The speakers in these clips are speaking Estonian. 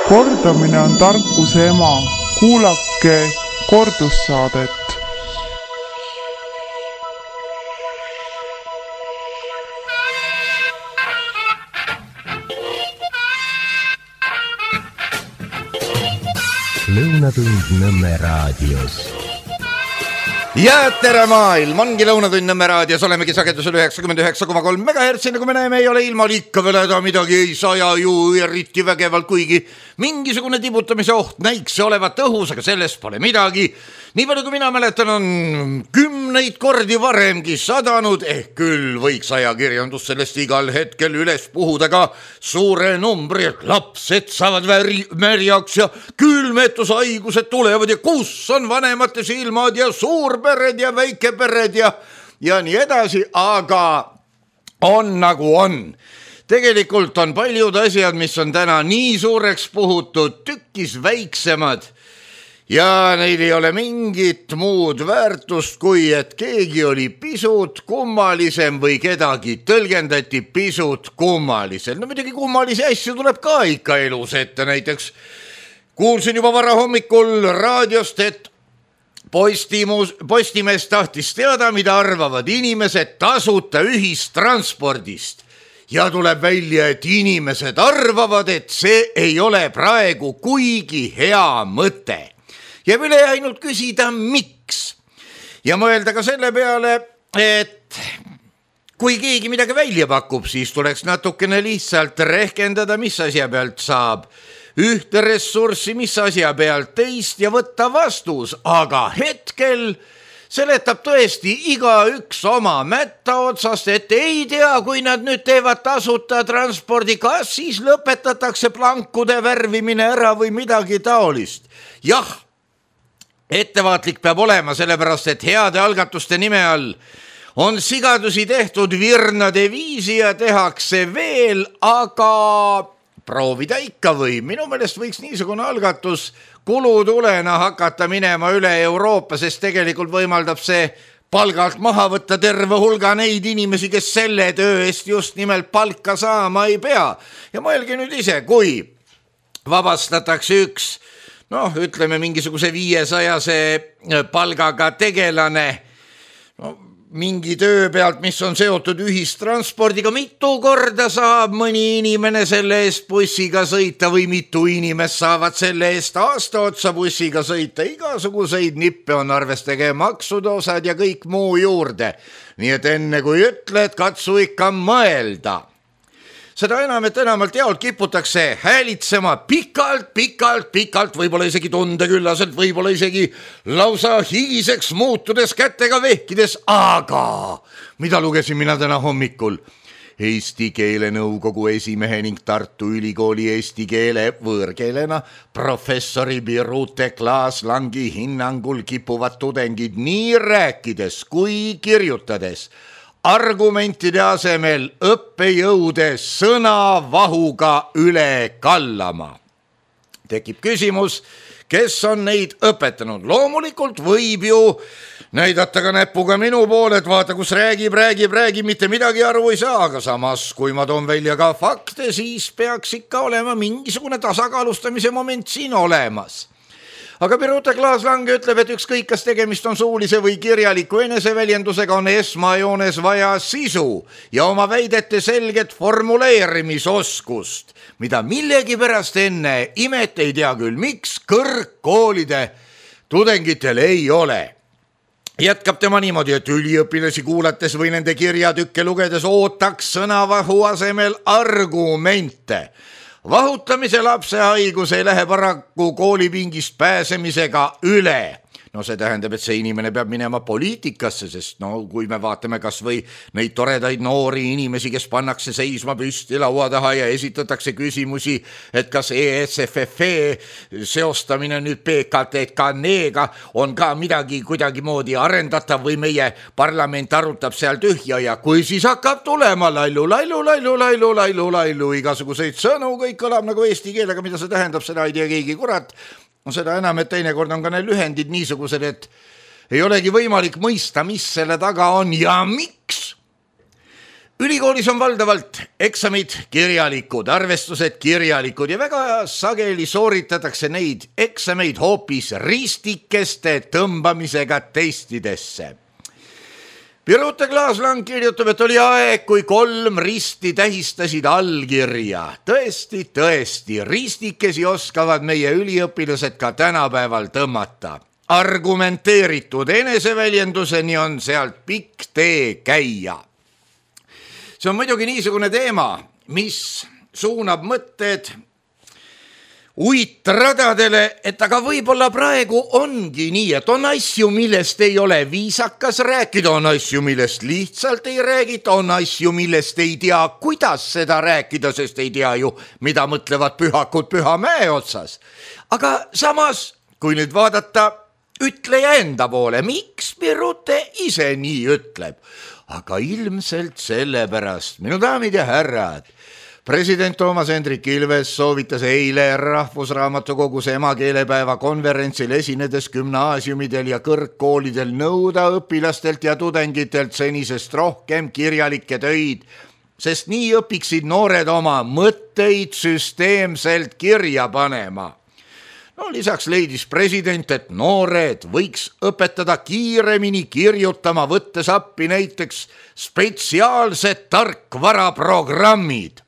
Kordamine on tarkuse ema. Kuulake kordussaadet. Lõunatund Nõmme raadios. Ja tere maailm, ongi Lõunatund Nõmme raadios, olemegi sagedusel 99,3 MHz, nagu me näeme, ei ole ilmal ikka veel häda midagi, ei saja ju eriti vägevalt, kuigi mingisugune tibutamise oht näiks olevat õhus, aga sellest pole midagi. Nii palju kui mina mäletan, on 10 kordi varemgi sadanud, küll võiks ajakirjandus sellest igal hetkel üles puhuda ka suure numbri, et lapsed saavad märjaks ja külmetushaigused tulevad ja kus on vanemate silmad ja suurpered ja väikepered ja nii edasi, aga on nagu on. Tegelikult on paljud asjad, mis on täna nii suureks puhutud, tükkis väiksemad. Ja neil ei ole mingit muud väärtust, kui et keegi oli pisut kummalisem või kedagi tõlgendati pisut kummalisel. No midagi kummalisi asju tuleb ka ikka elus ette. Näiteks kuulsin juba vara hommikul raadiost, et Postimees tahtis teada, mida arvavad inimesed tasuta ühistranspordist. Ja tuleb välja, et inimesed arvavad, et see ei ole praegu kuigi hea mõte. Ja üle ainult küsida, miks. Ja mõelda ka selle peale, et kui keegi midagi välja pakub, siis tuleks natukene lihtsalt rehkendada, mis asja pealt saab. Ühte ressurssi, mis asja pealt teist ja võtta vastus. Aga hetkel seletab tõesti igaüks oma mätta otsast, et ei tea, kui nad nüüd teevad tasuta transpordi, kas siis lõpetatakse plankude värvimine ära või midagi taolist. Jah, ettevaatlik peab olema, sellepärast et heade algatuste nime all on sigadusi tehtud virnade viisi ja tehakse veel, aga proovida ikka või. Minu meelest võiks niisugune algatus kulutulena hakata minema üle Euroopa, sest tegelikult võimaldab see palgalt maha võtta terve hulga neid inimesi, kes selle töö eest just nimelt palka saama ei pea. Ja mõelge nüüd ise, kui vabastatakse üks ütleme mingisuguse 500 palgaga tegelane mingi töö pealt, mis on seotud ühistranspordiga, mitu korda saab mõni inimene selle eest bussiga sõita või mitu inimest saavad selle eest aasta otsa bussiga sõita. Igasuguseid nippe on arvestage, maksude osad ja kõik muu juurde. Nii et enne kui ütled, katsu ikka mõelda. Seda enam, et enamalt jaolt kiputakse häälitsema pikalt, võib-olla isegi tundeküllaselt, võib-olla isegi lausa higiseks muutudes kätega vehkides, aga mida lugesin mina täna hommikul? Eesti Keele Nõukogu esimehe ning Tartu Ülikooli eesti keele võõrkeelena professori Birute Klaas-Langi hinnangul kipuvad tudengid nii rääkides kui kirjutades argumentide asemel õppejõude sõnavahuga üle kallama. Tekib küsimus, kes on neid õpetanud. Loomulikult võib ju näidata ka näpuga minu poole, et vaata, kus räägib, mitte midagi aru ei saa, aga samas, kui ma toon välja ka fakte, siis peaks ikka olema mingisugune tasakaalustamise moment siin olemas. Aga Birute Klaas-Lang ütleb, et ükskõik, kas tegemist on suulise või kirjaliku eneseväljendusega, on esmajoones vaja sisu ja oma väidete selget formuleerimisoskust, mida millegipärast enne imet ei tea küll, miks kõrgkoolide tudengitel ei ole. Jätkab tema niimoodi, et üliõpilasi kuulates või nende kirjatükke lugedes ootaks sõnavahu asemel argumente. Vahutamise lapse haigus ei lähe paraku koolipingist pääsemisega üle. No see tähendab, et see inimene peab minema poliitikasse, sest kui me vaatame kas või neid toredaid noori inimesi, kes pannakse seisma püsti laua taha ja esitatakse küsimusi, et kas ESFF seostamine nüüd PKTK-neega on ka midagi kuidagimoodi arendatav või meie parlament arutab seal tühja ja kui siis hakkab tulema lailu, igasuguseid sõnu, kõik kõlab nagu eesti keelega, mida see tähendab, seda ei tea keegi kurat. Seda enam, et teinekord on ka need lühendid niisugused, et ei olegi võimalik mõista, mis selle taga on ja miks. Ülikoolis on valdavalt eksamid kirjalikud, arvestused kirjalikud ja väga sageli sooritatakse neid eksameid hoopis ristikeste tõmbamisega testidesse. Birute Klaas-Lang kirjutab, et oli aeg, kui 3 risti tähistasid allkirja. Tõesti, ristikesi oskavad meie üliõpilased ka tänapäeval tõmmata. Argumenteeritud eneseväljenduseni on sealt pikk tee käia. See on muidugi niisugune teema, mis suunab mõtted uitradadele, et aga võib-olla praegu ongi nii, et on asju, millest ei ole viisakas rääkida, on asju, millest lihtsalt ei räägita, on asju, millest ei tea, kuidas seda rääkida, sest ei tea ju, mida mõtlevad pühakud Pühamäe otsas. Aga samas, kui nüüd vaadata ütleja enda poole, miks Birute ise nii ütleb? Aga ilmselt sellepärast, minu daamid ja härrad, president Toomas Hendrik Ilves soovitas eile Rahvusraamatukogus emakeelepäeva konverentsil esinedes gümnaasiumidel ja kõrgkoolidel nõuda õpilastelt ja tudengitelt senisest rohkem kirjalikke töid, sest nii õpiksid noored oma mõtteid süsteemselt kirja panema. No, lisaks leidis president, et noored võiks õpetada kiiremini kirjutama, võttes appi näiteks spetsiaalsed tarkvaraprogrammid.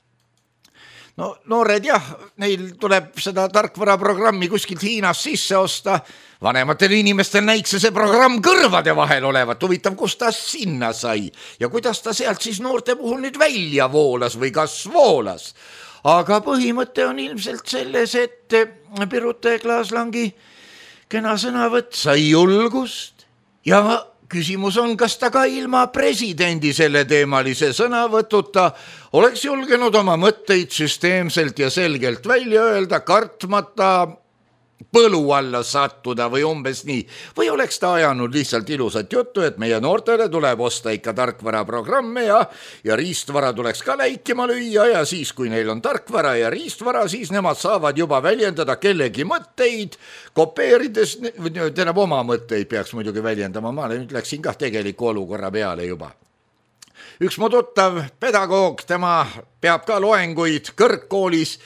No noored jah, neil tuleb seda tarkvaraprogrammi kuskilt Hiinast sisse osta, vanematel inimestel näiks see programm kõrvade vahel olevat, huvitav, kus ta sinna sai ja kuidas ta sealt siis noorte puhul nüüd välja voolas või kas voolas. Aga põhimõte on ilmselt selles, et Birute Klaas-Langi kena sõnavõtt sai julgust ja küsimus on, kas ta ka ilma presidendi selle teemalise sõnavõtuta oleks julgenud oma mõtteid süsteemselt ja selgelt välja öelda, kartmata põlu alla sattuda või umbes nii. Või oleks ta ajanud lihtsalt ilusat juttu, et meie noortele tuleb osta ikka tarkvaraprogramme ja riistvara tuleks ka läikima lüüa ja siis, kui neil on tarkvara ja riistvara, siis nemad saavad juba väljendada kellegi mõtteid, kopeerides, tähendab oma mõtteid peaks muidugi väljendama, ma nüüd läksin ka tegeliku olukorra peale juba. Üks mu tuttav pedagoog, tema peab ka loenguid kõrgkoolis.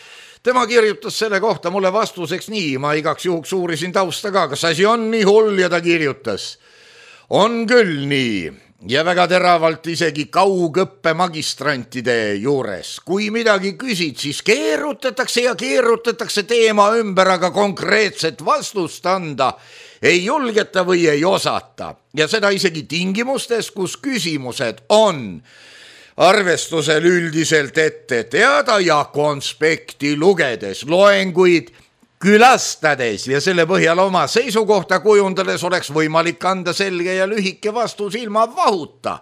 Tema kirjutas selle kohta mulle vastuseks nii, ma igaks juhuks uurisin tausta ka, kas asi on nii hull ja ta kirjutas. On küll nii ja väga teravalt isegi kaugõppe magistrantide juures. Kui midagi küsid, siis keerutatakse teema ümber, aga konkreetset vastust anda ei julgeta või ei osata. Ja seda isegi tingimustes, kus küsimused on arvestusel üldiselt ette teada ja konspekti lugedes, loenguid külastades ja selle põhjal oma seisukohta kujundades oleks võimalik anda selge ja lühike vastus ilma vahuta.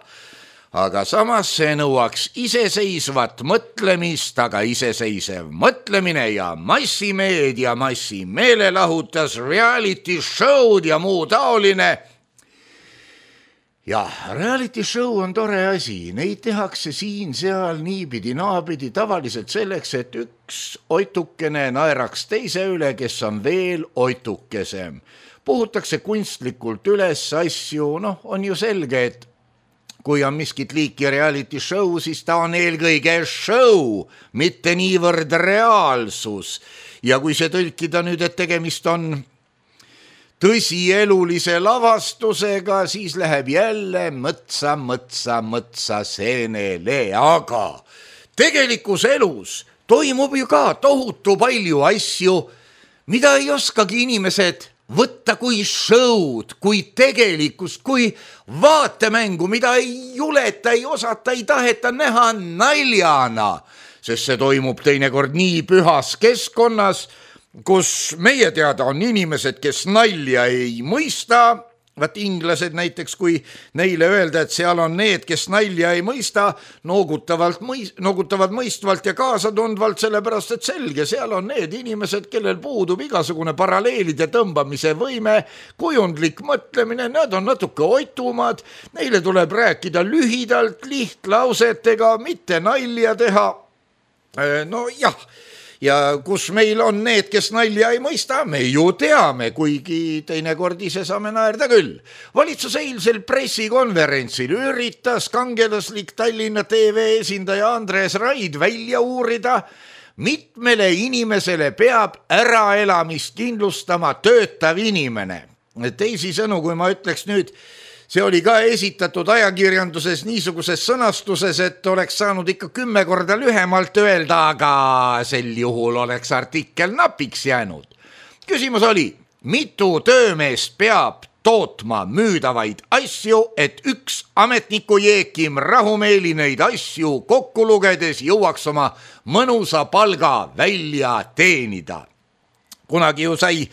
Aga samas see nõuaks iseseisvat mõtlemist, aga iseseisev mõtlemine ja massimeedia, massimeelelahutus, reality show'd ja muu taoline. Ja reality show on tore asi, neid tehakse siin, seal, niipidi, naapidi, tavaliselt selleks, et üks oitukene naeraks teise üle, kes on veel oitukesem. Puhutakse kunstlikult üles asju, on ju selge, et kui on miskit liiki reality show, siis ta on eelkõige show, mitte niivõrd reaalsus. Ja kui see tõlkida nüüd, et tegemist on tõsielulise lavastusega, siis läheb jälle mõtsa seenele, aga tegelikus elus toimub ju ka tohutu palju asju, mida ei oskagi inimesed võtta kui show'd, kui tegelikkust, kui vaatemängu, mida ei juleta, ei osata, ei taheta näha naljana, sest see toimub teinekord nii pühas keskkonnas, kus meie teada on inimesed, kes nalja ei mõista. Vaat inglased näiteks, kui neile öelda, et seal on need, kes nalja ei mõista, noogutavad mõistvalt ja kaasatundvalt, sellepärast et selge, seal on need inimesed, kellel puudub igasugune paralleelide tõmbamise võime, kujundlik mõtlemine, nad on natuke oitumad, neile tuleb rääkida lühidalt, lihtlausetega, mitte nalja teha. No jah. ja kus meil on need, kes nalja ei mõista, me ju teame, kuigi teinekord ise saame naerda küll. Valitsus eilsel pressikonverentsil üritas kangelaslik Tallinna TV esindaja Andres Raid välja uurida, mitmele inimesele peab äraelamist kindlustama töötav inimene. Teisisõnu, kui ma ütleks nüüd, see oli ka esitatud ajakirjanduses niisuguses sõnastuses, et oleks saanud ikka 10 korda lühemalt öelda, aga sel juhul oleks artikkel napiks jäänud. Küsimus oli, mitu töömeest peab tootma müüdavaid asju, et üks ametniku Jeekim rahumeeli neid asju kokku lugedes jõuaks oma mõnusa palga välja teenida. Kunagi ju sai,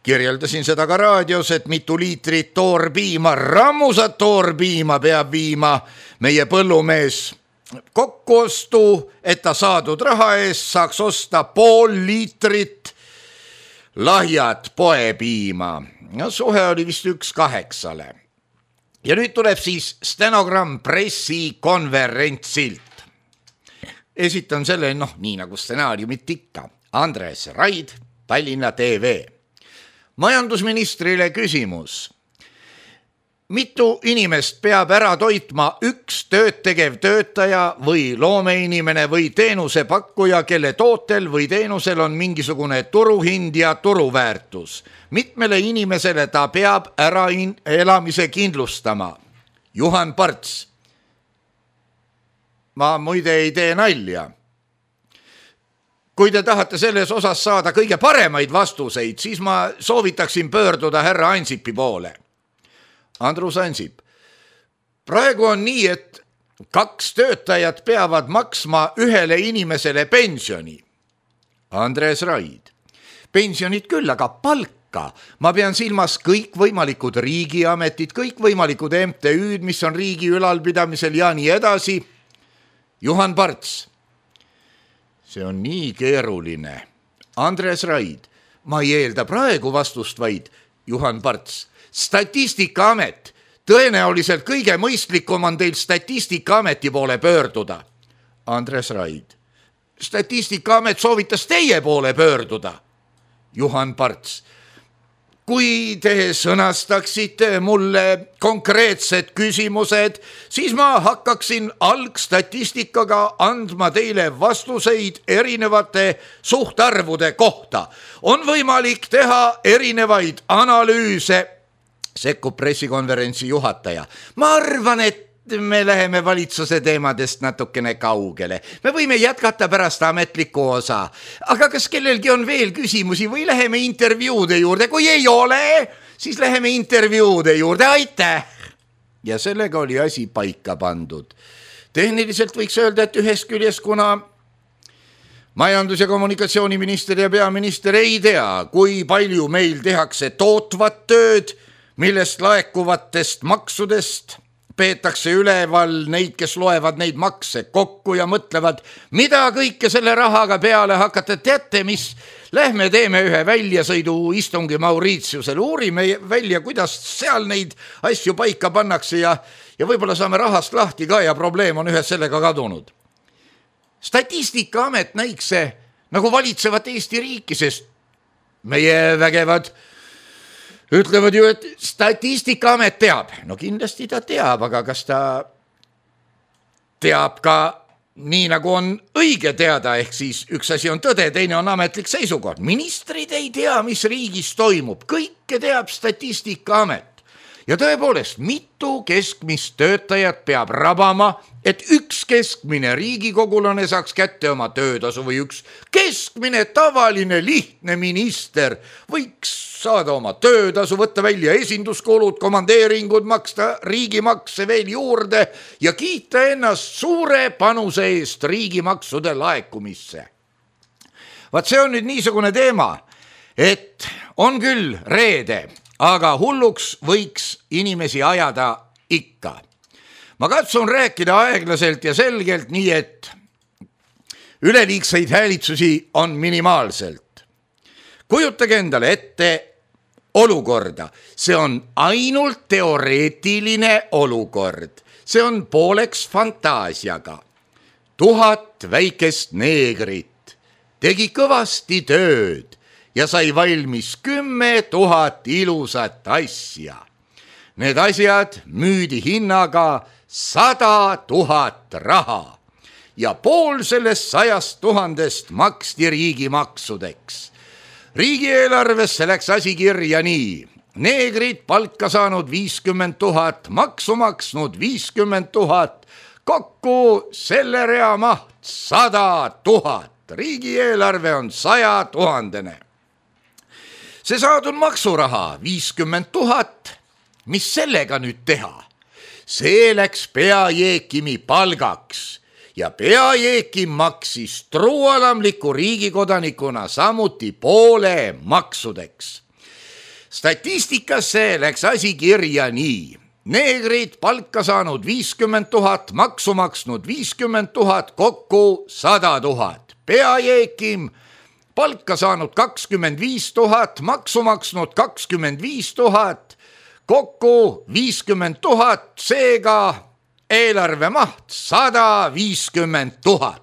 kirjeldasin seda ka raadios, et mitu liitrit toorpiima, rammusat toorpiima peab viima meie põllumees kokkuostu, et ta saadud raha eest saaks osta 0,5 liitrit lahjat poepiima. No, suhe oli vist 1:8. Ja nüüd tuleb siis stenogramm pressikonverentsilt. Esitan selle, nii nagu stsenaariumit ikka. Andres Raid, Tallinna TV. Majandusministrile küsimus. Mitu inimest peab ära toitma üks tööd tegev töötaja või loomeinimene või teenusepakkuja, kelle tootel või teenusel on mingisugune turuhind ja turuväärtus? Mitmele inimesele ta peab ära elamise kindlustama? Juhan Parts. Ma muide ei tee nalja. Kui te tahate selles osas saada kõige paremaid vastuseid, siis ma soovitaksin pöörduda härra Ansipi poole. Andrus Ansip. Praegu on nii, et 2 töötajat peavad maksma ühele inimesele pensioni. Andres Raid. Pensionid küll, aga palka. Ma pean silmas kõikvõimalikud riigiametid, kõikvõimalikud MTÜ-d, mis on riigi ülalpidamisel ja nii edasi. Juhan Parts. See on nii keeruline. Andres Raid. Ma ei eelda praegu vastust, vaid Juhan Parts. Statistikaamet. Tõenäoliselt kõige mõistlikum on teil Statistikaameti poole pöörduda. Andres Raid. Statistikaamet soovitas teie poole pöörduda. Juhan Parts. Kui te sõnastaksite mulle konkreetsed küsimused, siis ma hakkaksin algstatistikaga andma teile vastuseid erinevate suhtarvude kohta. On võimalik teha erinevaid analüüse, sekkub pressikonverentsi juhataja. Ma arvan, et me läheme valitsuse teemadest natukene kaugele. Me võime jätkata pärast ametlikku osa. Aga kas kellelgi on veel küsimusi või läheme intervjuude juurde? Kui ei ole, siis läheme intervjuude juurde. Aitäh! Ja sellega oli asi paika pandud. Tehniliselt võiks öelda, et ühest küljest, kuna majandus- ja kommunikatsiooniminister ja peaminister ei tea, kui palju meil tehakse tootvat tööd, millest laekuvatest maksudest peetakse üleval neid, kes loevad neid makse kokku ja mõtlevad, mida kõike selle rahaga peale hakata. Teate, mis? Lähme teeme ühe väljasõidu istungi Mauritiusel, uurime välja, kuidas seal neid asju paika pannakse ja võib-olla saame rahast lahti ka ja probleem on ühes sellega kadunud. Statistikaamet näiks see nagu valitsevat Eesti riiki, sest meie vägevad ütlevad ju, et Statistikaamet teab. No kindlasti ta teab, aga kas ta teab ka nii, nagu on õige teada, ehk siis üks asi on tõde, teine on ametlik seisukoht. Ministrid ei tea, mis riigis toimub, kõike teab Statistikaamet. Ja tõepoolest, mitu keskmist töötajat peab rabama, et üks keskmine riigikogulane saaks kätte oma töötasu või üks keskmine tavaline lihtne minister võiks saada oma töötasu, võtta välja esinduskulud, komandeeringud, maksta riigimakse veel juurde ja kiita ennast suure panuse eest riigimaksude laekumisse. Vaat see on nüüd niisugune teema, et on küll reede, aga hulluks võiks inimesi ajada ikka. Ma katsun rääkida aeglaselt ja selgelt, nii et üleliigseid häälitsusi on minimaalselt. Kujutage endale ette olukorda. See on ainult teoreetiline olukord. See on pooleks fantaasiaga. 1000 väikest neegrit tegi kõvasti tööd ja sai valmis 10 000 ilusat asja. Need asjad müüdi hinnaga 100 000 raha ja pool sellest 100 000 maksti riigimaksudeks. Riigieelarvesse läks asi kirja nii. Neegrid palka saanud 50 000, maksu maksnud 50 000, kokku selle rea maht 100 000. Riigieelarve on 100 000. See saadud maksuraha 50 000. Mis sellega nüüd teha? See läks peajeekimi palgaks ja peajeekim maksis truualamliku riigikodanikuna samuti poole maksudeks. Statistikasse läks asi kirja nii. Neegrid palka saanud 50 000, maksu maksnud 50 000, kokku 100 000. Peajeekim palka saanud 25 000, maksu maksnud 25 000, kokku 50 000, seega eelarve maht 150 000.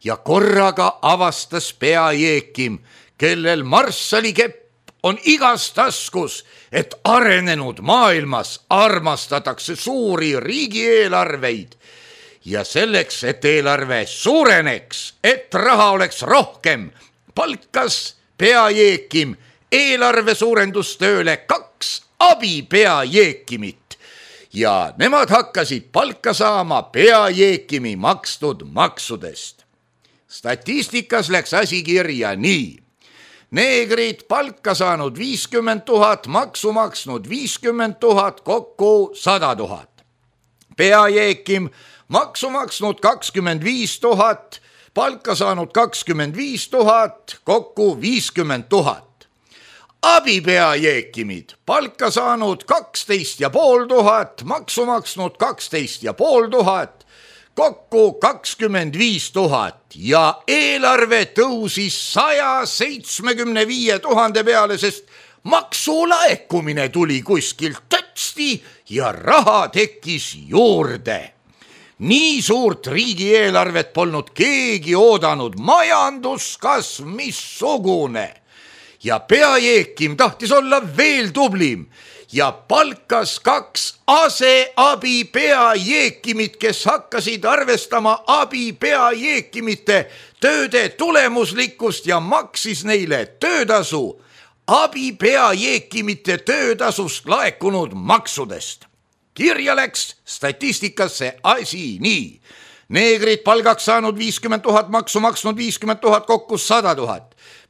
Ja korraga avastas peajeekim, kellel marssallikepp on igas taskus, et arenenud maailmas armastatakse suuri riigieelarveid ja selleks, et eelarve suureneks, et raha oleks rohkem, palkas peajeekim eelarve suurendustööle 2 abipeajeekimit ja nemad hakkasid palka saama peajeekimi makstud maksudest. Statistikas läks asi kirja nii. Neegrid palka saanud 50 000, maksu maksnud 50 000, kokku 100 000. Peajeekim maksu maksnud 25 000, palka saanud 25 000, kokku 50 000. Abipeajeekimid palka saanud 12 500, maksu maksnud 12 500, kokku 25 000 ja eelarve tõusis 175 000 peale, sest maksulaekumine tuli kuskilt tõtsti ja raha tekkis juurde. Nii suurt riigieelarvet polnud keegi oodanud, majanduskasv missugune. Ja peajeekim tahtis olla veel tublim ja palkas 2 aseabipeajeekimit, kes hakkasid arvestama abipeajeekimite tööde tulemuslikkust ja maksis neile töötasu abipeajeekimite töötasust laekunud maksudest. Kirja läks statistikasse asi nii. Neegrid palgaks saanud 50 000, maksu maksnud 50 000, kokku 100 000.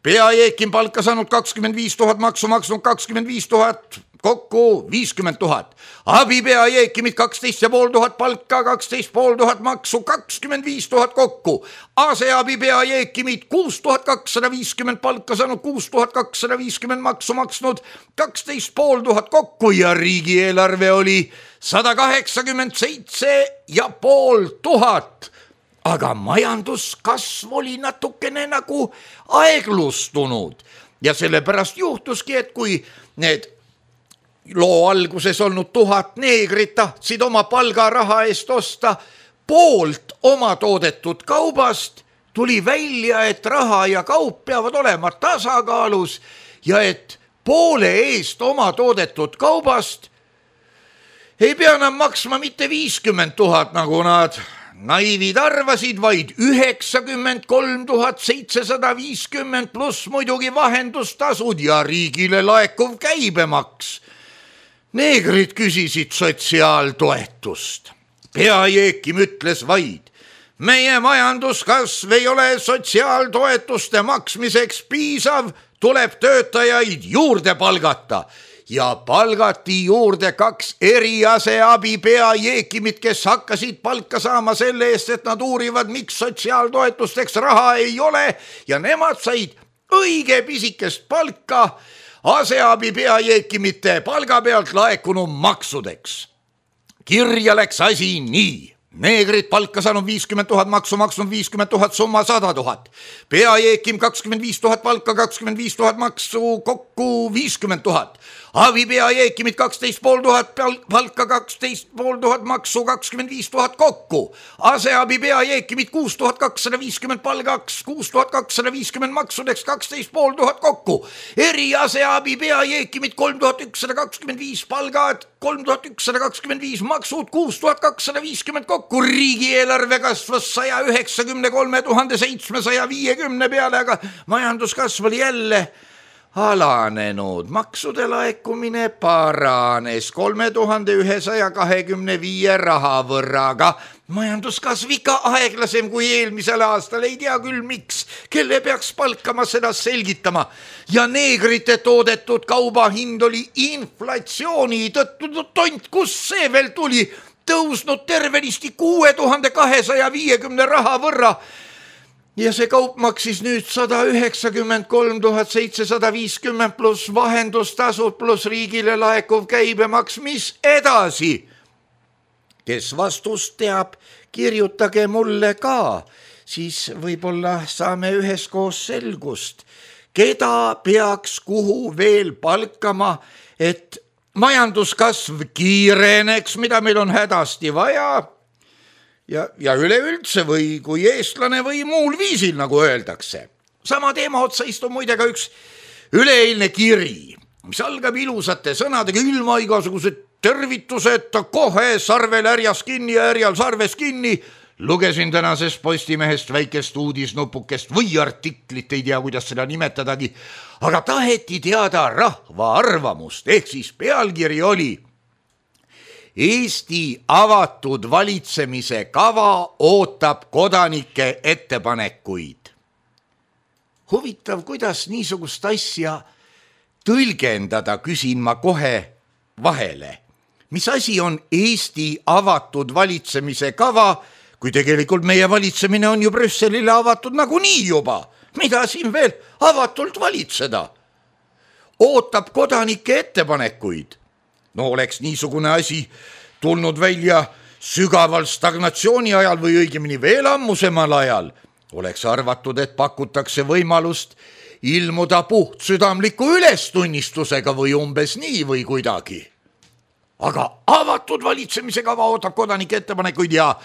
Peajeekim palka saanud 25 000, maksu maksnud 25 000, kokku 50 000. Abipeajeekimid 12 500 palka, 12 500 maksu, 25 000 kokku. Aseabipeajeekimid 6250 palka saanud, 6250 maksu maksnud, 12 500 kokku ja riigieelarve oli 187 500. Aga majanduskasv oli natukene nagu aeglustunud ja sellepärast juhtuski, et kui need loo alguses olnud 1000 neegrit tahtsid oma palgaraha eest osta poolt oma toodetud kaubast, tuli välja, et raha ja kaup peavad olema tasakaalus ja et poole eest oma toodetud kaubast ei pea enam maksma mitte 50 000, nagu nad naivid arvasid, vaid 93 750 pluss muidugi vahendustasud ja riigile laekuv käibemaks. Neegrid küsisid sotsiaaltoetust. Peajeekim ütles vaid, meie majanduskasv ei ole sotsiaaltoetuste maksmiseks piisav, tuleb töötajaid juurde palgata. Ja palgati juurde 2 eriaseabipeajeekimit, kes hakkasid palka saama selle eest, et nad uurivad, miks sotsiaaltoetusteks raha ei ole ja nemad said õige pisikest palka aseabipeajeekimite palga pealt laekunud maksudeks. Kirja läks asi nii. Neegrid palka saanud 50 000, maksu maksnud 50 000, summa 100 000. Peajeekim 25 000 palka, 25 000 maksu, kokku kokku 50 000. Abipea Jeekimit 12 500 palka, 12 500 maksu, 25 000 kokku. Aseabipea Jeekimit 6 250 palgaks, 6 250 maksudeks, 12 500 kokku. Eriaseabipea Jeekimit 3 125 palgad, 3 125 maksud, 6 250 kokku. Riigieelarve kasvas 193 750 peale, aga majanduskasv oli jälle alanenud. Maksude laekumine paranes 3125 raha võrraga. Majanduskasv ikka aeglasem kui eelmisel aastal, ei tea küll miks, kelle peaks palkama seda selgitama. Ja neegrite toodetud kauba hind oli inflatsiooni tõttu tont, kus see veel tuli, tõusnud tervenisti 6250 raha võrra. Ja see kaup maksis nüüd 193 750 pluss vahendustasud pluss riigile laekuv käibemaks, mis edasi? Kes vastust teab, kirjutage mulle ka, siis võib-olla saame üheskoos selgust, keda peaks kuhu veel palkama, et majanduskasv kiireneks, mida meil on hädasti vaja, ja üleüldse või kui eestlane või muul viisil, nagu öeldakse. Sama teema otsa istub muide ka üks üleeilne kiri, mis algab ilusate sõnadega, ilma igasugused tervituseta, kohe sarvel härjas kinni ja härjal sarves kinni. Lugesin tänasest Postimehest väikest uudisnupukest või artiklit, ei tea, kuidas seda nimetadagi, aga taheti teada rahva arvamust, ehk siis pealkiri oli Eesti avatud valitsemise kava ootab kodanike ettepanekuid. Huvitav, kuidas niisugust asja tõlgendada, küsin ma kohe vahele. Mis asi on Eesti avatud valitsemise kava, kui tegelikult meie valitsemine on ju Brüsselile avatud nagunii juba? Mida siin veel avatult valitseda? Ootab kodanike ettepanekuid. No oleks niisugune asi tulnud välja sügaval stagnatsiooni ajal või õigemini veel ammusemal ajal, oleks arvatud, et pakutakse võimalust ilmuda puhtsüdamliku ülestunnistusega või umbes nii või kuidagi. Aga avatud valitsemise kava ootab kodanike ettepanekuid ja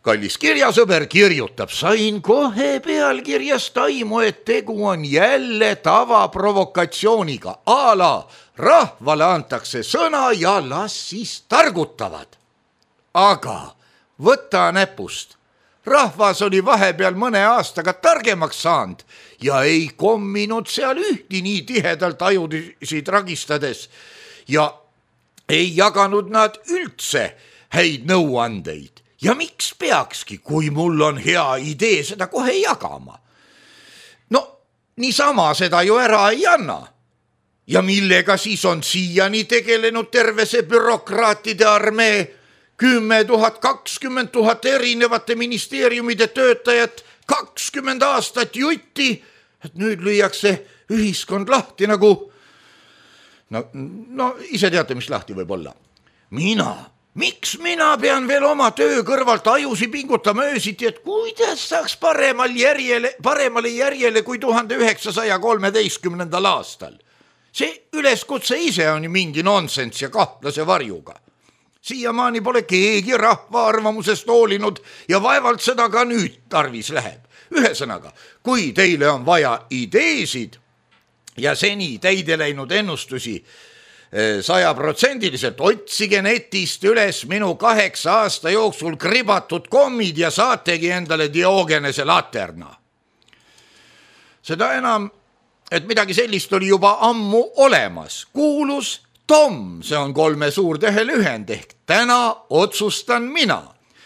kallis kirjasõber kirjutab, sain kohe pealkirjast aimu, et tegu on jälle tavaprovokatsiooniga. Ala rahvale antakse sõna ja las siis targutavad. Aga võta näpust. Rahvas oli vahepeal mõne aastaga targemaks saanud ja ei komminud seal ühti nii tihedalt ajusid ragistades ja ei jaganud nad üldse häid nõuandeid. Ja miks peakski, kui mul on hea idee, seda kohe jagama? No, niisama seda ju ära ei anna. Ja millega siis on siiani tegelenud terve see bürokraatide armee, 10 000, 20 000 erinevate ministeeriumide töötajat, 20 aastat jutti, et nüüd lüüakse ühiskond lahti nagu, no ise teate, mis lahti võib olla. Miks mina pean veel oma töö kõrvalt ajusi pingutama öösiti, et kuidas saaks paremale järjele kui 1913. aastal? See üleskutse ise on ju mingi nonsens ja kahtlase varjuga. Siiamaani pole keegi rahva arvamusest hoolinud ja vaevalt seda ka nüüd tarvis läheb. Ühesõnaga, kui teile on vaja ideesid ja seni täide läinud ennustusi 100%, otsige netist üles minu 8 aasta jooksul kribatud kommid ja saategi endale Diogenese laterna. Seda enam, et midagi sellist oli juba ammu olemas. Kuulus Tom, see on 3 suurtähe lühend ehk täna otsustan mina.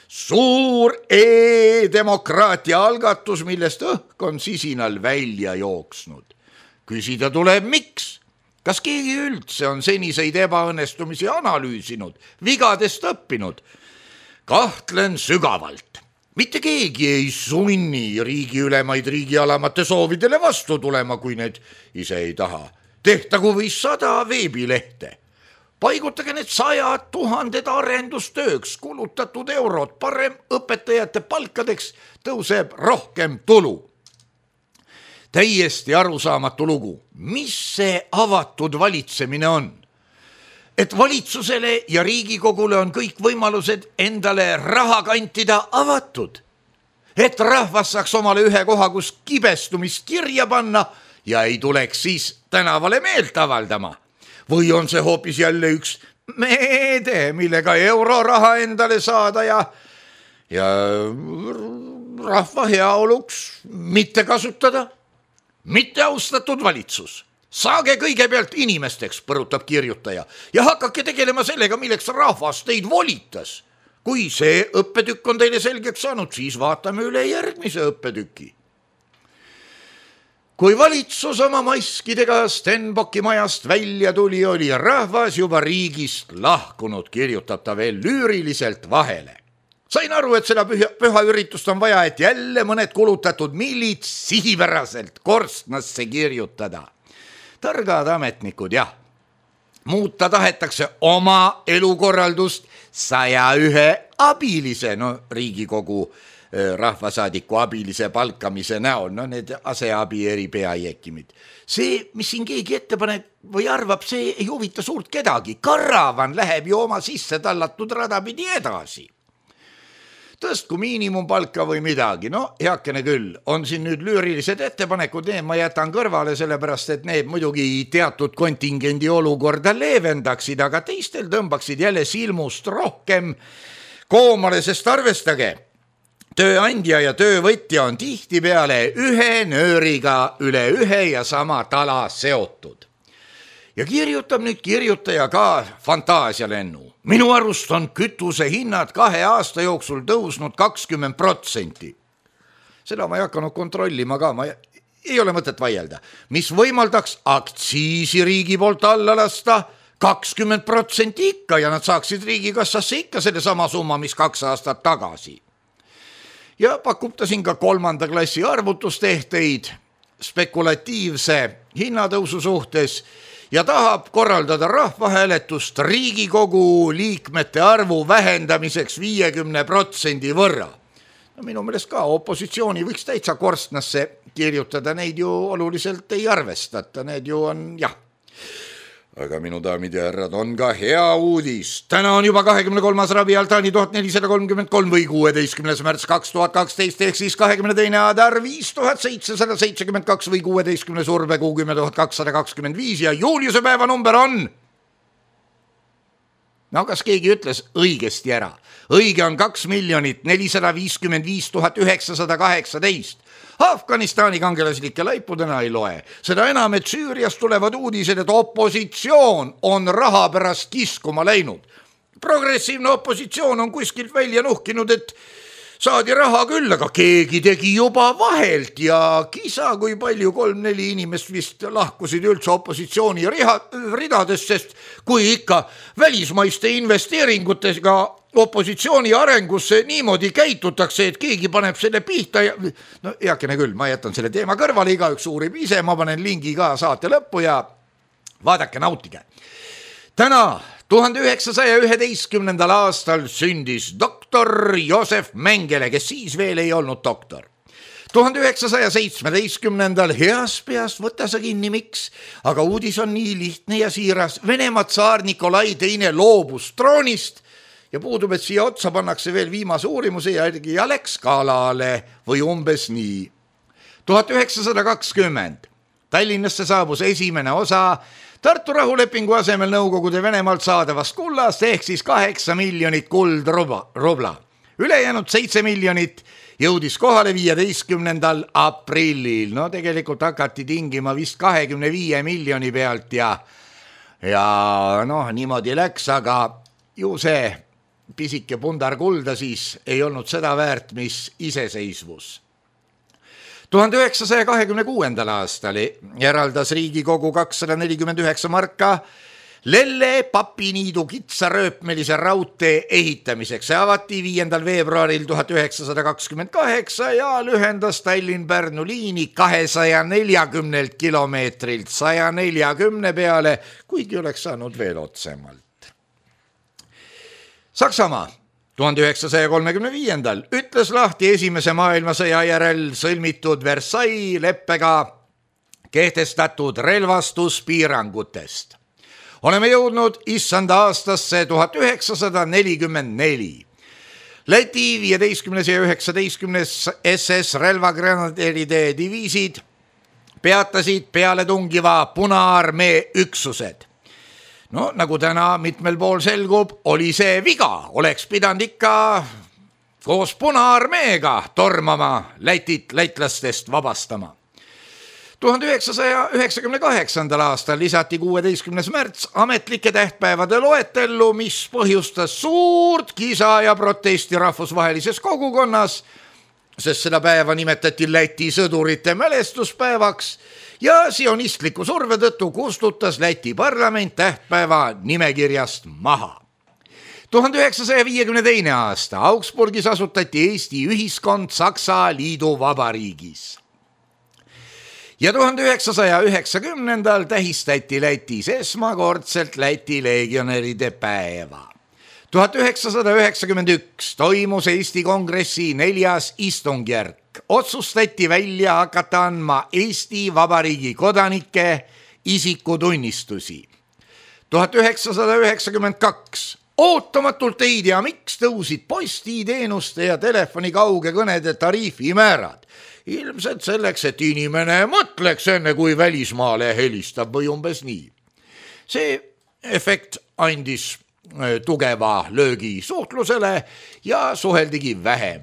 Suur e-demokraatia algatus, millest õhk on sisinal välja jooksnud. Küsida tuleb miks? Kas keegi üldse on seniseid ebaõnnestumisi analüüsinud, vigadest õppinud? Kahtlen sügavalt. Mitte keegi ei sunni riigiülemaid riigialamate soovidele vastu tulema, kui need ise ei taha. Tehtagu või 100 veebilehte. Paigutage need 100 000 arendustööks kulutatud eurod, parem õpetajate palkadeks tõuseb rohkem tulu. täiesti arusaamatu lugu. Mis see avatud valitsemine on? Et valitsusele ja Riigikogule on kõik võimalused endale raha kantida avatud. Et rahvas saaks omale ühe koha, kus kibestumist kirja panna ja ei tuleks siis tänavale meelt avaldama. Või on see hoopis jälle üks meede, millega euroraha endale saada ja rahva heaoluks mitte kasutada? Mitte austatud valitsus. Saage kõigepealt inimesteks, põrutab kirjutaja, ja hakake tegelema sellega, milleks rahvas teid volitas. Kui see õppetükk on teile selgeks saanud, siis vaatame üle järgmise õppetüki. Kui valitsus oma maskidega Stenbocki majast välja tuli, oli rahvas juba riigist lahkunud, kirjutab ta veel lüüriliselt vahele. Sain aru, et seda püha üritust on vaja, et jälle mõned kulutatud millid sihipäraselt korstnasse kirjutada. Targad ametnikud, jah. Muuta tahetakse oma elukorraldust 101 abilise, Riigikogu rahvasaadiku abilise palkamise näol, need aseabi eri peajäkimid. See, mis siin keegi ettepanek või arvab, see ei huvita suurt kedagi. Karavan läheb ju oma sisse tallatud radapidi edasi. Tõstku miinimumpalka või midagi, heakene küll, on siin nüüd lüürilised ettepanekud, need ma jätan kõrvale, sellepärast et need muidugi teatud kontingendi olukorda leevendaksid, aga teistel tõmbaksid jälle silmust rohkem koomale, sest arvestage, tööandja ja töövõtja on tihtipeale ühe nööriga üle ühe ja sama tala seotud. Ja kirjutab nüüd kirjutaja ka fantaasialennu. Minu arust on kütuse hinnad 2 aasta jooksul tõusnud 20%. Seda ma ei hakanud kontrollima ka, ma ei ole mõtet vaielda. Mis võimaldaks aktsiisi riigi poolt alla lasta 20% ikka ja nad saaksid riigikassasse ikka selle sama summa, mis 2 aastat tagasi. Ja pakub ta siin ka 3. klassi arvutustehteid spekulatiivse hinnatõusu suhtes ja tahab korraldada rahvahääletust Riigikogu liikmete arvu vähendamiseks 50% võrra. Minu meelest ka opositsiooni võiks täitsa korstnasse kirjutada, neid ju oluliselt ei arvestata, need ju on jah. Aga minu daamid ja härrad, on ka hea uudis. Täna on juba 23. Rabi Altaani 1433 või 16. märts 2012 ehk siis 22. Adar 5772 või 16. Surbekuu 10.225 ja Juliuse päeva number on... kas keegi ütles õigesti ära? Õige on 2 455 918. Afganistani kangelaslike laipudena ei loe. Seda enam, et Süüriast tulevad uudised, et opositsioon on raha pärast kiskuma läinud. Progressiivne opositsioon on kuskilt välja nuhkinud, et saadi raha küll, aga keegi tegi juba vahelt ja kisa, kui palju 3-4 inimest vist lahkusid üldse opositsiooni ridadest, sest kui ikka välismaiste investeeringutega opositsiooni arengusse niimoodi käitutakse, et keegi paneb selle pihta ja heakene küll, ma jätan selle teema kõrvale, igaüks uurib ise, ma panen lingi ka saate lõppu ja vaadake, nautige. Täna 1911. aastal sündis doktor Joosef Mengele, kes siis veel ei olnud doktor. 1917. heas peast võta sa kinni, miks, aga uudis on nii lihtne ja siiras. Venemaa tsaar Nikolai II loobus troonist ja puudub, et siia otsa pannakse veel viimase uurimuse järgi ja läks kalale või umbes nii. 1920. Tallinnasse saabus esimene osa Tartu rahulepingu asemel Nõukogude Venemaalt saadavast kullast ehk siis 8 miljonit kuldrubla. Ülejäänud 7 miljonit jõudis kohale 15. aprillil. Tegelikult hakati tingima vist 25 miljoni pealt ja niimoodi läks, aga ju see pisike pundar kulda siis ei olnud seda väärt, mis iseseisvus. 1926. aastal eraldas Riigikogu 249 marka Lelle Papiniidu kitsarööpmelise raudtee ehitamiseks. See avati 5. veebruaril 1928 ja lühendas Tallinn-Pärnu liini 240 kilomeetrilt 140 peale, kuigi oleks saanud veel otsemalt. Saksamaa 1935. ütles lahti esimese maailmasõja järel sõlmitud Versailles leppega kehtestatud relvastuspiirangutest. Oleme jõudnud issanda aastasse 1944. Läti 15. ja 19. SS relvagrenaderide diviisid peatasid pealetungiva Punaarmee üksused. No nagu täna mitmel pool selgub, oli see viga, oleks pidanud ikka koos Punaarmeega tormama Lätit lätlastest vabastama. 1998. aastal lisati 16. märts ametlike tähtpäevade loetellu, mis põhjustas suurt kisa ja protesti rahvusvahelises kogukonnas, sest seda päeva nimetati Läti sõdurite mälestuspäevaks ja sionistliku surve tõttu kustutas Läti parlament tähtpäeva nimekirjast maha. 1952. aasta Augsburgis asutati Eesti ühiskond Saksa Liiduvabariigis. Ja 1990. tähistati Lätis esmakordselt Läti legionäride päeva. 1991 toimus Eesti Kongressi 4. istungjärk. Otsustati välja hakata andma Eesti Vabariigi kodanike isikutunnistusi. 1992 ootamatult ei tea, miks tõusid postiteenuste ja telefoni kaugekõnede tariifimäärad. Ilmselt selleks, et inimene mõtleks enne, kui välismaale helistab või umbes nii. See efekt andis tugeva löögi suhtlusele ja suheldigi vähem.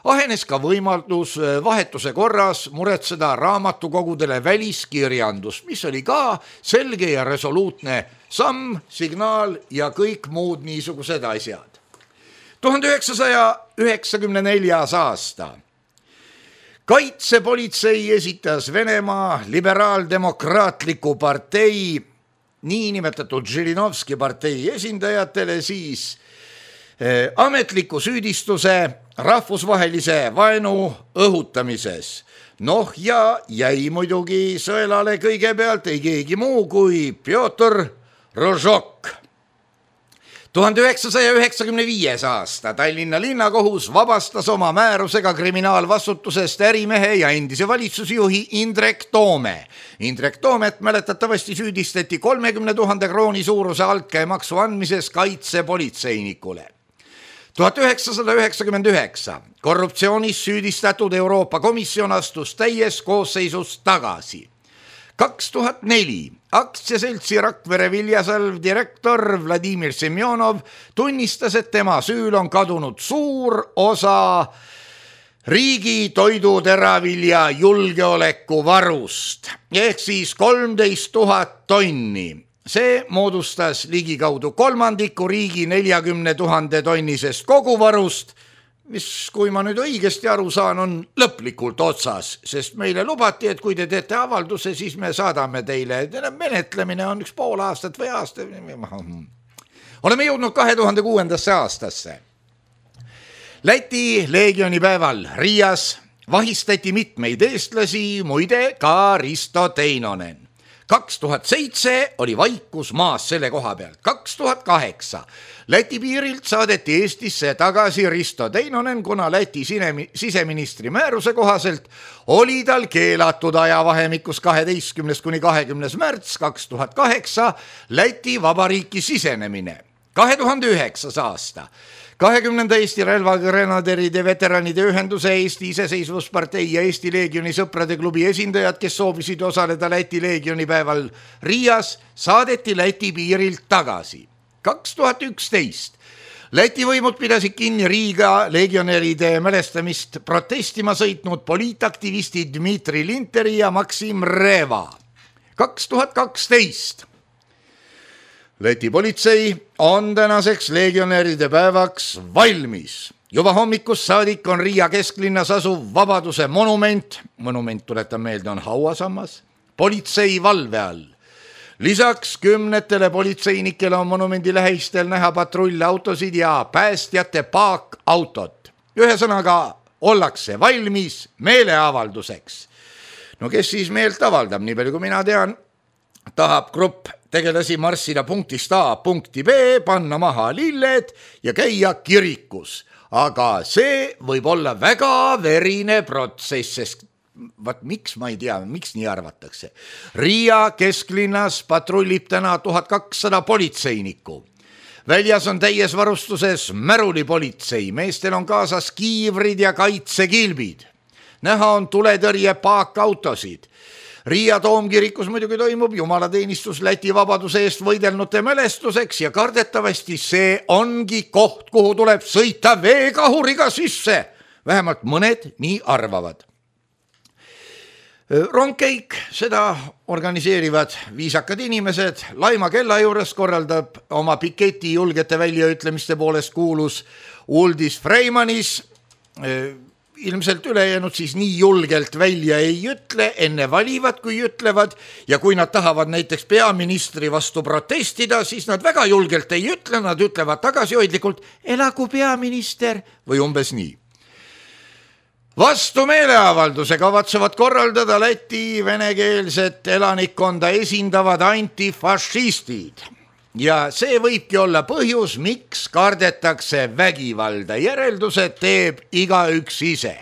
Ahenes ka võimalus vahetuse korras muretseda raamatukogudele väliskirjandust, mis oli ka selge ja resoluutne samm, signaal ja kõik muud niisugused asjad. 1994. aasta. Kaitsepolitsei esitas Venemaa liberaaldemokraatliku partei niinimetatud Žirinovski partei esindajatele siis ametliku süüdistuse rahvusvahelise vaenu õhutamises. Noh ja jäi muidugi sõelale kõigepealt ei keegi muu kui Pjotr Rožok. 1995. aasta Tallinna linnakohus vabastas oma määrusega kriminaalvastutusest ärimehe ja endise valitsusjuhi Indrek Toome. Indrek Toomet mäletatavasti süüdistati 30 000 krooni suuruse altkäemaksu andmises kaitsepolitseinikule. 1999 korruptsioonis süüdistatud Euroopa Komisjon astus täies koosseisus tagasi. 2004 aktsiaseltsi Rakvere Viljasalv direktor Vladimir Semjonov tunnistas, et tema süül on kadunud suur osa riigi toiduteravilja julgeolekuvarust ehk siis 13 000 tonni. See moodustas ligikaudu kolmandiku riigi 40 000 tonnisest koguvarust, mis, kui ma nüüd õigesti aru saan, on lõplikult otsas, sest meile lubati, et kui te teete avalduse, siis me saadame teile. Menetlemine on 1,5 aastat või aasta. Oleme jõudnud 2006. aastasse. Läti leegionipäeval Riias vahistati mitmeid eestlasi, muide ka Risto Teinonen. 2007 oli vaikus maas selle koha peal. 2008 Läti piirilt saadeti Eestisse tagasi Risto Teinonen, kuna Läti siseministri määruse kohaselt oli tal keelatud ajavahemikus 12. kuni 20. märts 2008 Läti Vabariiki sisenemine. 2009. aasta 20. Eesti relvagrenaderide veteranide ühenduse, Eesti Iseseisvuspartei ja Eesti Leegioni sõprade klubi esindajad, kes soovisid osaleda Läti leegionipäeval Riias, saadeti Läti piirilt tagasi. 2011 Läti võimud pidasid kinni Riiga leegionäride mälestamist protestima sõitnud poliitaktivisti Dmitri Linteri ja Maksim Reva. 2012 Läti politsei on tänaseks leegionäride päevaks valmis. Juba hommikust saadik on Riia kesklinnas asuv Vabaduse monument, tuletan meelde, on hauasammas, politsei valve all. Lisaks 10 politseinikele on monumendi lähistel näha patrullautosid ja päästjate paakautot. Ühesõnaga ollakse valmis meeleavalduseks. No kes siis meelt avaldab, nii palju kui mina tean, tahab grupp tegelasi marssida punktist A punkti B, panna maha lilled ja käia kirikus. Aga see võib olla väga verine protsess, sest vaat miks ma ei tea, miks nii arvatakse. Riia kesklinnas patrullib täna 1200 politseinikku. Väljas on täies varustuses märulipolitsei, meestel on kaasas kiivrid ja kaitsekilbid. Näha on tuletõrje paakautosid. Riia Toomkirikus muidugi toimub jumalateenistus Läti vabaduse eest võidelnute mälestuseks ja kardetavasti see ongi koht, kuhu tuleb sõita veekahuriga sisse. Vähemalt mõned nii arvavad. Rongkäik, seda organiseerivad viisakad inimesed. Laima kella juures korraldab oma piketi julgete väljaütlemiste poolest kuulus Uldis Freimanis. Ilmselt ülejäänud siis nii julgelt välja ei ütle, enne valivad, kui ütlevad, ja kui nad tahavad näiteks peaministri vastu protestida, siis nad väga julgelt ei ütle, nad ütlevad tagasihoidlikult, elagu peaminister või umbes nii. Vastu meeleavalduse kavatsevad korraldada Läti venekeelset elanikkonda esindavad antifašistid. Ja see võibki olla põhjus, miks kardetakse vägivalda. Järeldused teeb igaüks ise.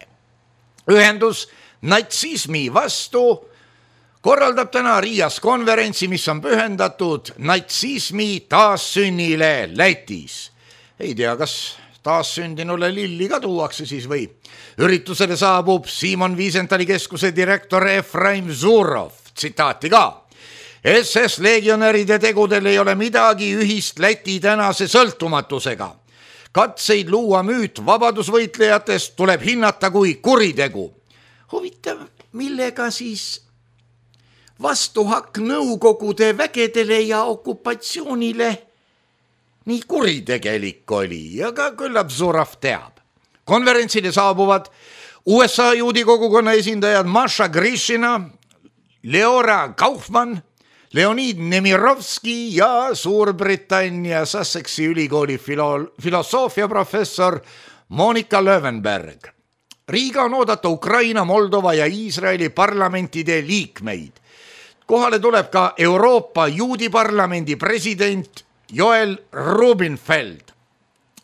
Ühendus natsismi vastu korraldab täna Riias konverentsi, mis on pühendatud natsismi taassünnile Lätis. Ei tea, kas taassündinule lilli ka tuuakse siis või. Üritusele saabub Simon Wiesenthali keskuse direktor Efraim Zurov. Tsitaati ka. SS legionäride tegudel ei ole midagi ühist Läti tänase sõltumatusega. Katseid luua müüt vabadusvõitlejatest tuleb hinnata kui kuritegu. Huvitav, millega siis vastuhakk Nõukogude vägedele ja okupatsioonile nii kuritegelik oli ja ka küllap Zurov teab. Konverentsile saabuvad USA juudi kogukonna esindajad Masha Grishina, Leora Kaufmann, Leonid Nemirovski ja Suurbritannia Sussexi ülikooli filosoofia professor Monika Löwenberg. Riiga on oodata Ukraina, Moldova ja Iisraeli parlamentide liikmeid. Kohale tuleb ka Euroopa juudi parlamendi president Joel Rubinfeld.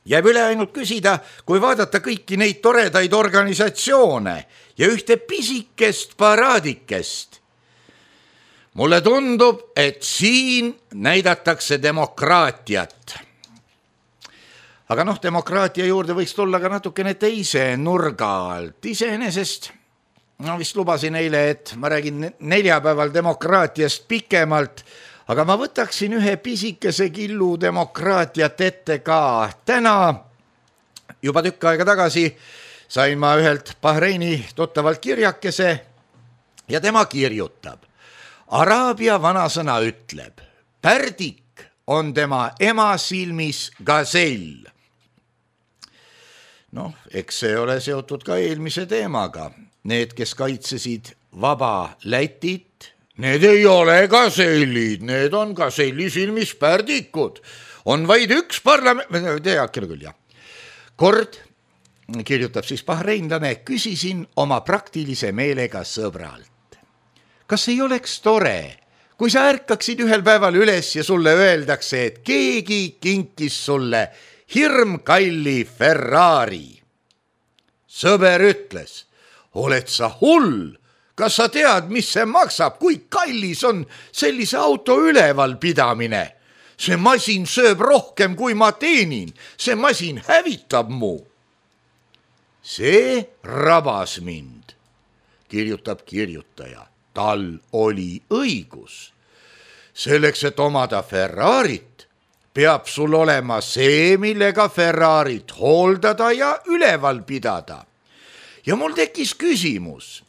Jääb üle ainult küsida, kui vaadata kõiki neid toredaid organisatsioone ja ühte pisikest paraadikest. Mulle tundub, et siin näidatakse demokraatiat. Aga demokraatia juurde võiks tulla ka natukene teise nurga alt. Iseenesest, vist lubasin eile, et ma räägin neljapäeval demokraatiast pikemalt, aga ma võtaksin ühe pisikese killu demokraatiat ette ka. Täna, juba tükk aega tagasi, sain ma ühelt Bahreini tuttavalt kirjakese ja tema kirjutab. Araabia vanasõna ütleb, pärdik on tema ema silmis gazell. Eks see ole seotud ka eelmise teemaga. Need, kes kaitsesid vaba Lätit, need ei ole gazellid, need on gazelli silmis pärdikud. On vaid üks Kord, kirjutab siis bahreinlane, küsisin oma praktilise meelega sõbralt. Kas ei oleks tore, kui sa ärkaksid ühel päeval üles ja sulle öeldakse, et keegi kinkis sulle hirmkalli Ferrari? Sõber ütles, oled sa hull? Kas sa tead, mis see maksab, kui kallis on sellise auto üleval pidamine? See masin sööb rohkem, kui ma teenin. See masin hävitab mu. See rabas mind, kirjutab kirjutaja. Tal oli õigus. Selleks, et omada Ferrarit, peab sul olema see, millega Ferrarit hooldada ja üleval pidada. Ja mul tekkis küsimus,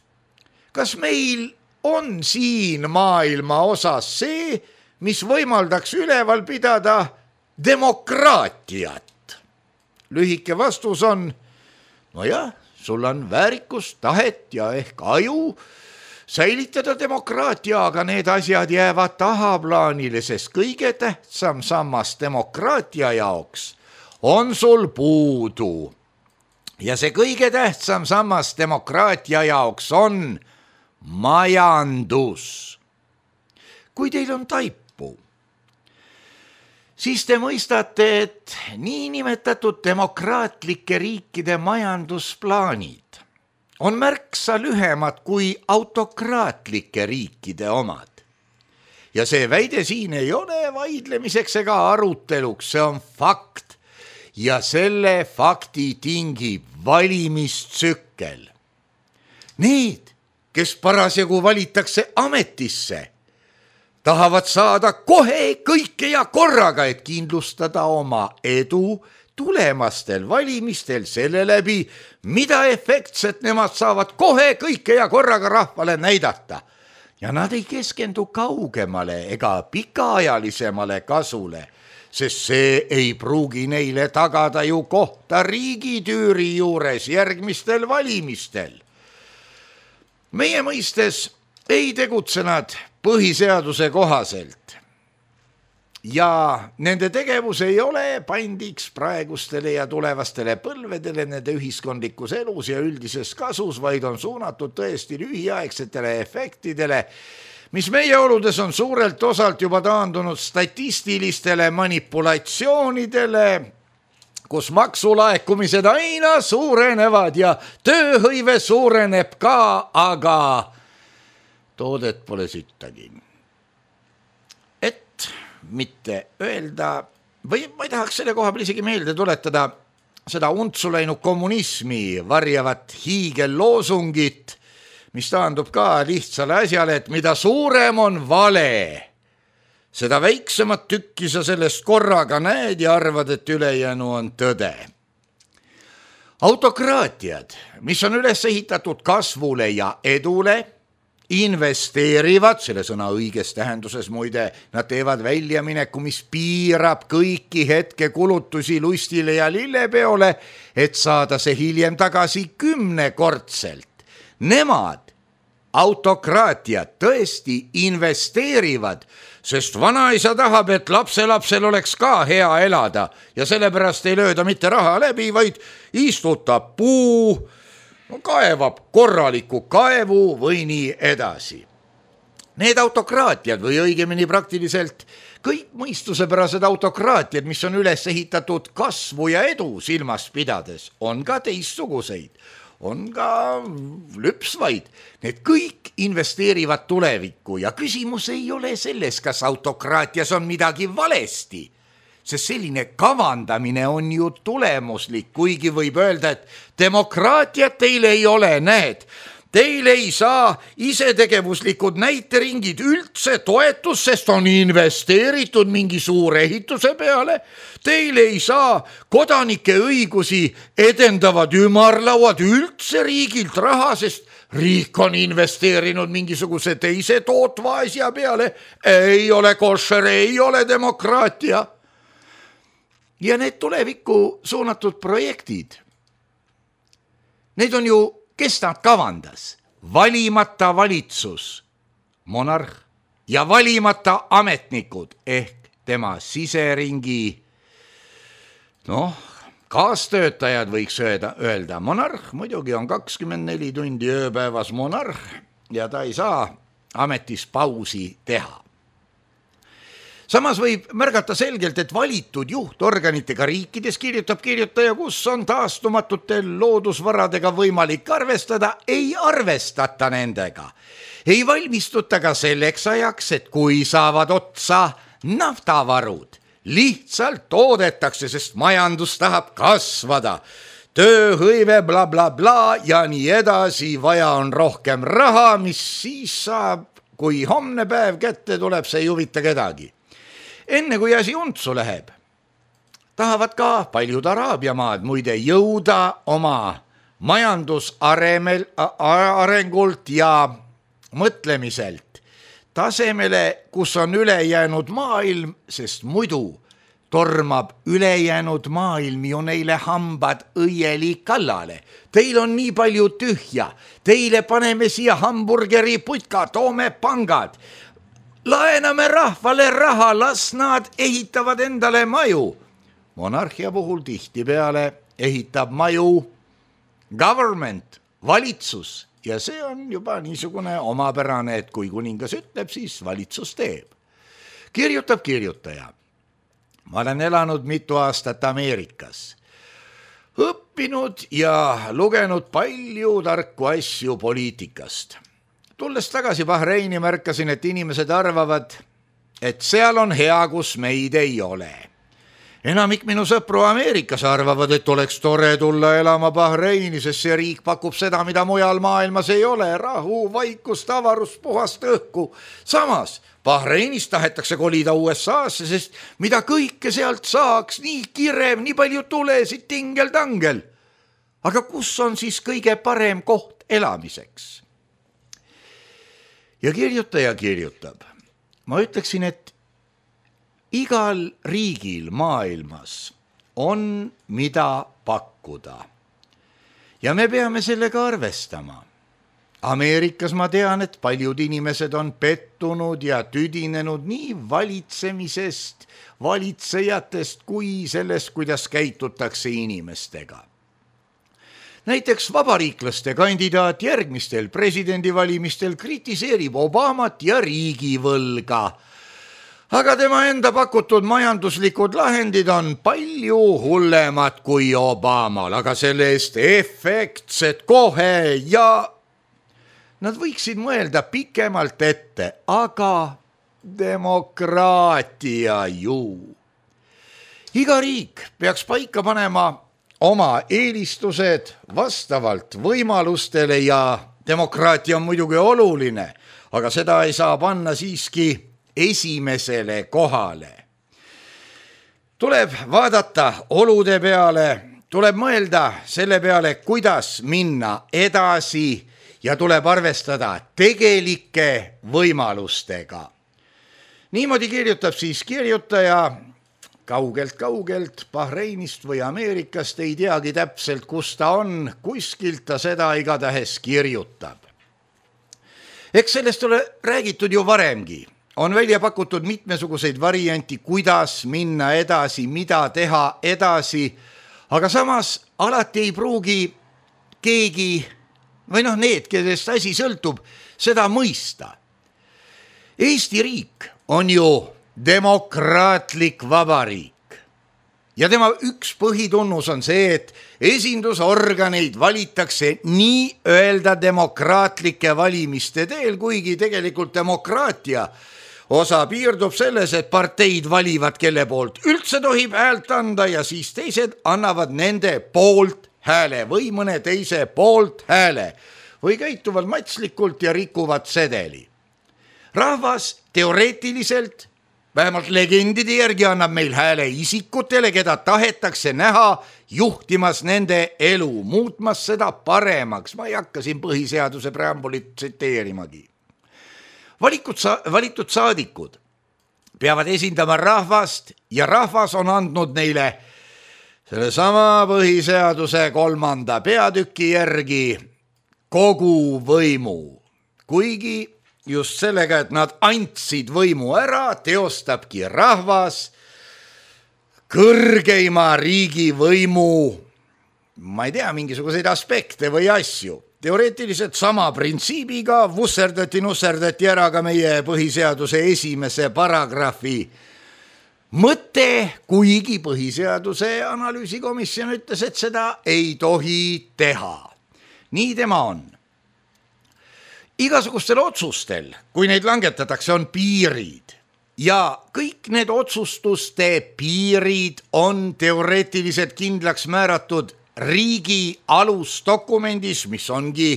kas meil on siin maailma osas see, mis võimaldaks üleval pidada demokraatiat? Lühike vastus on, sul on väärikus, tahet ja ehk aju säilitada demokraatia, aga need asjad jäävad tahaplaanile, sest kõige tähtsam sammas demokraatia jaoks on sul puudu. Ja see kõige tähtsam sammas demokraatia jaoks on majandus. Kui teil on taipu, siis te mõistate, et niinimetatud demokraatlike riikide majandusplaanid on märksa lühemad kui autokraatlike riikide omad. Ja see väide siin ei ole vaidlemiseks ega aruteluks, see on fakt. Ja selle fakti tingib valimistsükkel. Need, kes parasjagu valitakse ametisse, tahavad saada kohe kõike ja korraga, et kindlustada oma edu tulemastel valimistel selle läbi, mida efektset nemad saavad kohe kõike ja korraga rahvale näidata. Ja nad ei keskendu kaugemale ega pikaajalisemale kasule, sest see ei pruugi neile tagada ju kohta riigitüüri juures järgmistel valimistel. Meie mõistes ei tegutse nad põhiseaduse kohaselt ja nende tegevus ei ole pandiks praegustele ja tulevastele põlvedele nende ühiskondlikus elus ja üldises kasus, vaid on suunatud tõesti lühiaegsetele efektidele, mis meie oludes on suurelt osalt juba taandunud statistilistele manipulatsioonidele, kus maksulaekumised aina suurenevad ja tööhõive suureneb ka, aga toodet pole sittagi. Et mitte öelda, või ma ei tahaks selle koha peal isegi meelde tuletada seda untsu läinud kommunismi varjavat hiigelloosungit, mis taandub ka lihtsale asjale, et mida suurem on vale, seda väiksemat tükki sa sellest korraga näed ja arvad, et ülejäänu on tõde. Autokraatiad, mis on üles ehitatud kasvule ja edule, investeerivad, selle sõna õiges tähenduses muide, nad teevad väljamineku, mis piirab kõiki hetke kulutusi lustile ja lillepeole, et saada see hiljem tagasi 10-kordselt. Nemad, autokraatiad, tõesti investeerivad, sest vanaisa tahab, et lapselapsel oleks ka hea elada ja sellepärast ei lööda mitte raha läbi, vaid istutab puu, kaevab korraliku kaevu või nii edasi. Need autokraatiad või õigemini praktiliselt kõik mõistusepärased autokraatiad, mis on üles ehitatud kasvu ja edu silmas pidades, on ka teistsuguseid, on ka lüpsvaid. Need kõik investeerivad tulevikku ja küsimus ei ole selles, kas autokraatias on midagi valesti, sest selline kavandamine on ju tulemuslik, kuigi võib öelda, et demokraatiat teil ei ole, näed. Teil ei saa isetegevuslikud näiteringid üldse toetus, sest on investeeritud mingi suure ehituse peale. Teil ei saa kodanike õigusi edendavad ümarlauad üldse riigilt raha, sest riik on investeerinud mingisuguse teise tootva asja peale. Ei ole košer, ei ole demokraatia. Ja need tulevikku suunatud projektid, need on ju, kes nad kavandas? Valimata valitsus, monarh ja valimata ametnikud ehk tema siseringi, kaastöötajad võiks öelda. Monarh muidugi on 24 tundi ööpäevas monarh ja ta ei saa ametis pausi teha. Samas võib märgata selgelt, et valitud juhtorganitega riikides kirjutab kirjutaja, kus on taastumatute loodusvaradega võimalik arvestada, ei arvestata nendega. Ei valmistuta ka selleks ajaks, et kui saavad otsa naftavarud, lihtsalt toodetakse, sest majandus tahab kasvada. Tööhõive bla bla bla ja nii edasi, vaja on rohkem raha, mis siis saab, kui homne päev kätte tuleb, see ei huvita kedagi. Enne kui asi untsu läheb, tahavad ka paljud Araabia maad muide jõuda oma majandusarengult ja mõtlemiselt tasemele, kus on ülejäänud maailm, sest muidu tormab ülejäänud maailm ju neile hambad õieli kallale. Teil on nii palju tühja, teile paneme siia hamburgeri putka, toome pangad. Laename rahvale raha, las nad ehitavad endale maju. Monarhia puhul tihtipeale ehitab maju government, valitsus ja see on juba niisugune omapärane, et kui kuningas ütleb, siis valitsus teeb. Kirjutab kirjutaja. Ma olen elanud mitu aastat Ameerikas. õppinud ja lugenud palju tarku asju poliitikast. Tulles tagasi Bahreini märkasin, et inimesed arvavad, et seal on hea, kus meid ei ole. Enamik minu sõpru Ameerikas arvavad, et oleks tore tulla elama Bahreini, sest see riik pakub seda, mida mujal maailmas ei ole, rahu, vaikust, avarust, puhast õhku. Samas Bahreinist tahetakse kolida USA-sse, sest mida kõike sealt saaks, nii kirev, nii palju tulesid, tingel-tangel. Aga kus on siis kõige parem koht elamiseks? Ja kirjutaja kirjutab. Ma ütleksin, et igal riigil maailmas on mida pakkuda. Ja me peame sellega arvestama. Ameerikas ma tean, et paljud inimesed on pettunud ja tüdinenud nii valitsemisest, valitsejatest kui sellest, kuidas käitutakse inimestega. Näiteks vabariiklaste kandidaat järgmistel presidendivalimistel kritiseerib Obamat ja riigivõlga. Aga tema enda pakutud majanduslikud lahendid on palju hullemad kui Obamal, aga selle eest efektsed kohe ja nad võiksid mõelda pikemalt ette, aga demokraatia ju. Iga riik peaks paika panema oma eelistused vastavalt võimalustele ja demokraatia on muidugi oluline, aga seda ei saa panna siiski esimesele kohale. Tuleb vaadata olude peale, tuleb mõelda selle peale, kuidas minna edasi ja tuleb arvestada tegelike võimalustega. Niimoodi kirjutab siis kirjutaja kaugelt Bahreinist või Ameerikast, ei teagi täpselt, kus ta on, kuskilt ta seda igatahes kirjutab. Eks sellest ole räägitud ju varemgi. On välja pakutud mitmesuguseid varianti, kuidas minna edasi, mida teha edasi, aga samas alati ei pruugi keegi või need, kellest asi sõltub, seda mõista. Eesti riik on ju demokraatlik vabariik ja tema üks põhitunnus on see, et esindusorganeid valitakse nii öelda demokraatlike valimiste teel, kuigi tegelikult demokraatia osa piirdub selles, et parteid valivad, kelle poolt üldse tohib häält anda ja siis teised annavad nende poolt hääle või mõne teise poolt hääle või käituvad matslikult ja rikuvad sedeli. Rahvas teoreetiliselt vähemalt legendide järgi annab meil hääle isikutele, keda tahetakse näha juhtimas nende elu, muutmas seda paremaks. Ma ei hakka siin põhiseaduse preambulit tsiteerimagi. Valitud saadikud peavad esindama rahvast ja rahvas on andnud neile selle sama põhiseaduse 3. peatüki järgi kogu võimu, kuigi just sellega, et nad andsid võimu ära, teostabki rahvas kõrgeima riigivõimu, ma ei tea, mingisuguseid aspekte või asju. Teoreetiliselt sama printsiibiga vusserdati ära ka meie põhiseaduse 1. paragrahvi mõte, kuigi põhiseaduse analüüsikomisjon ütles, et seda ei tohi teha. Nii tema on. Igasugustel otsustel, kui neid langetatakse, on piirid ja kõik need otsustuste piirid on teoreetiliselt kindlaks määratud riigi alusdokumendis, mis ongi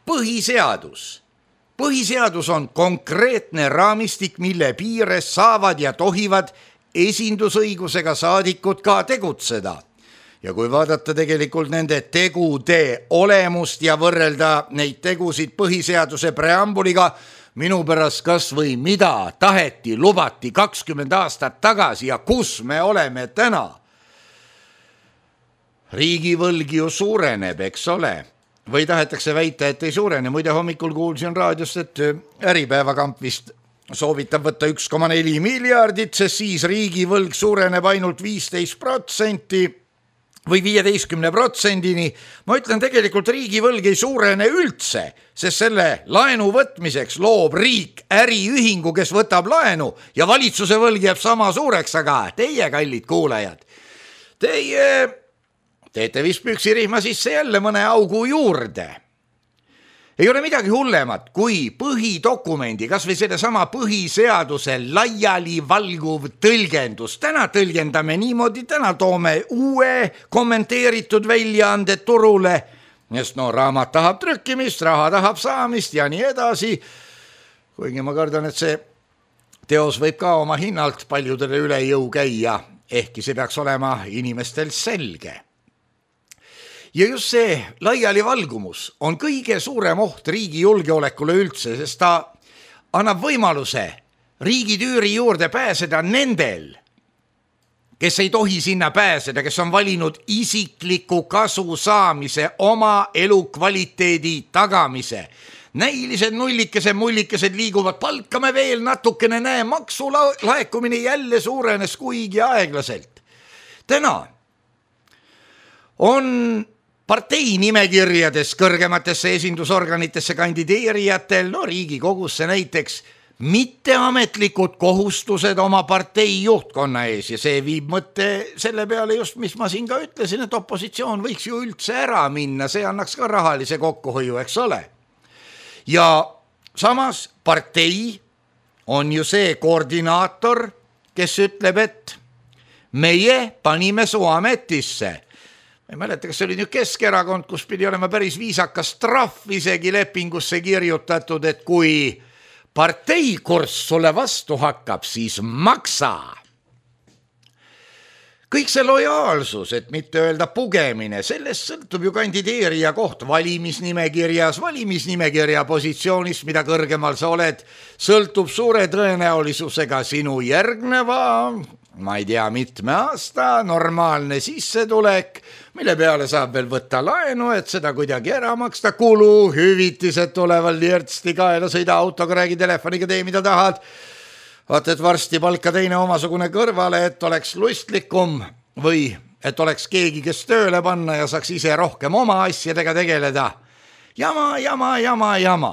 põhiseadus. Põhiseadus on konkreetne raamistik, mille piires saavad ja tohivad esindusõigusega saadikud ka tegutseda. Ja kui vaadata tegelikult nende tegude olemust ja võrrelda neid tegusid põhiseaduse preambuliga, minu pärast kas või mida taheti, lubati 20 aastat tagasi ja kus me oleme täna. Riigivõlg ju suureneb, eks ole. Või tahetakse väita, et ei suurene. Muide hommikul kuulsin raadiost, et Äripäevakamp vist soovitab võtta 1,4 miljardit, sest siis riigivõlg suureneb ainult 15% või 15%-ni. Ma ütlen, tegelikult riigivõlg ei suurene üldse, sest selle laenu võtmiseks loob riik äriühingu, kes võtab laenu ja valitsuse võlg jääb sama suureks, aga teie, kallid kuulajad, teie teete vist püksirihma sisse jälle mõne augu juurde. Ei ole midagi hullemat kui põhidokumendi, kas või sellesama põhiseaduse laiali valguv tõlgendus. Täna tõlgendame niimoodi, täna toome uue kommenteeritud väljaande turule, sest raamat tahab trükkimist, raha tahab saamist ja nii edasi. Kuigi ma kardan, et see teos võib ka oma hinnalt paljudele üle jõu käia, ehkki see peaks olema inimestel selge. Ja just see laialivalgumus on kõige suurem oht riigi julgeolekule üldse, sest ta annab võimaluse riigitüüri juurde pääseda nendel, kes ei tohi sinna pääseda, kes on valinud isikliku kasu saamise, oma elukvaliteedi tagamise. Näilised mullikesed liiguvad, palkame veel natukene, näe, maksulaekumine jälle suurenes kuigi aeglaselt. Täna on partei nimekirjades kõrgematesse esindusorganitesse kandideerijatel, Riigikogusse näiteks, mitteametlikud kohustused oma partei juhtkonna ees ja see viib mõtte selle peale just, mis ma siin ka ütlesin, et opositsioon võiks ju üldse ära minna, see annaks ka rahalise kokkuhoiu, eks ole. Ja samas partei on ju see koordinaator, kes ütleb, et meie panime su ametisse. Ma ei mäleta, kas see oli nüüd Keskerakond, kus pidi olema päris viisakas trahv isegi lepingusse kirjutatud, et kui partei kurss sulle vastu hakkab, siis maksa. Kõik see lojaalsus, et mitte öelda pugemine, sellest sõltub ju kandideerija koht valimisnimekirjas, valimisnimekirja positsioonist, mida kõrgemal sa oled, sõltub suure tõenäolisusega sinu järgneva, ma ei tea, mitme aasta normaalne sissetulek, mille peale saab veel võtta laenu, et seda kuidagi ära maksta, kulu, hüvitised tuleval lirtsti kaela, sõida autoga, räägi telefoniga, tee mida tahad. Vaat, et varsti palka teine omasugune kõrvale, et oleks lustlikum või et oleks keegi, kes tööle panna ja saaks ise rohkem oma asjadega tegeleda. Jama.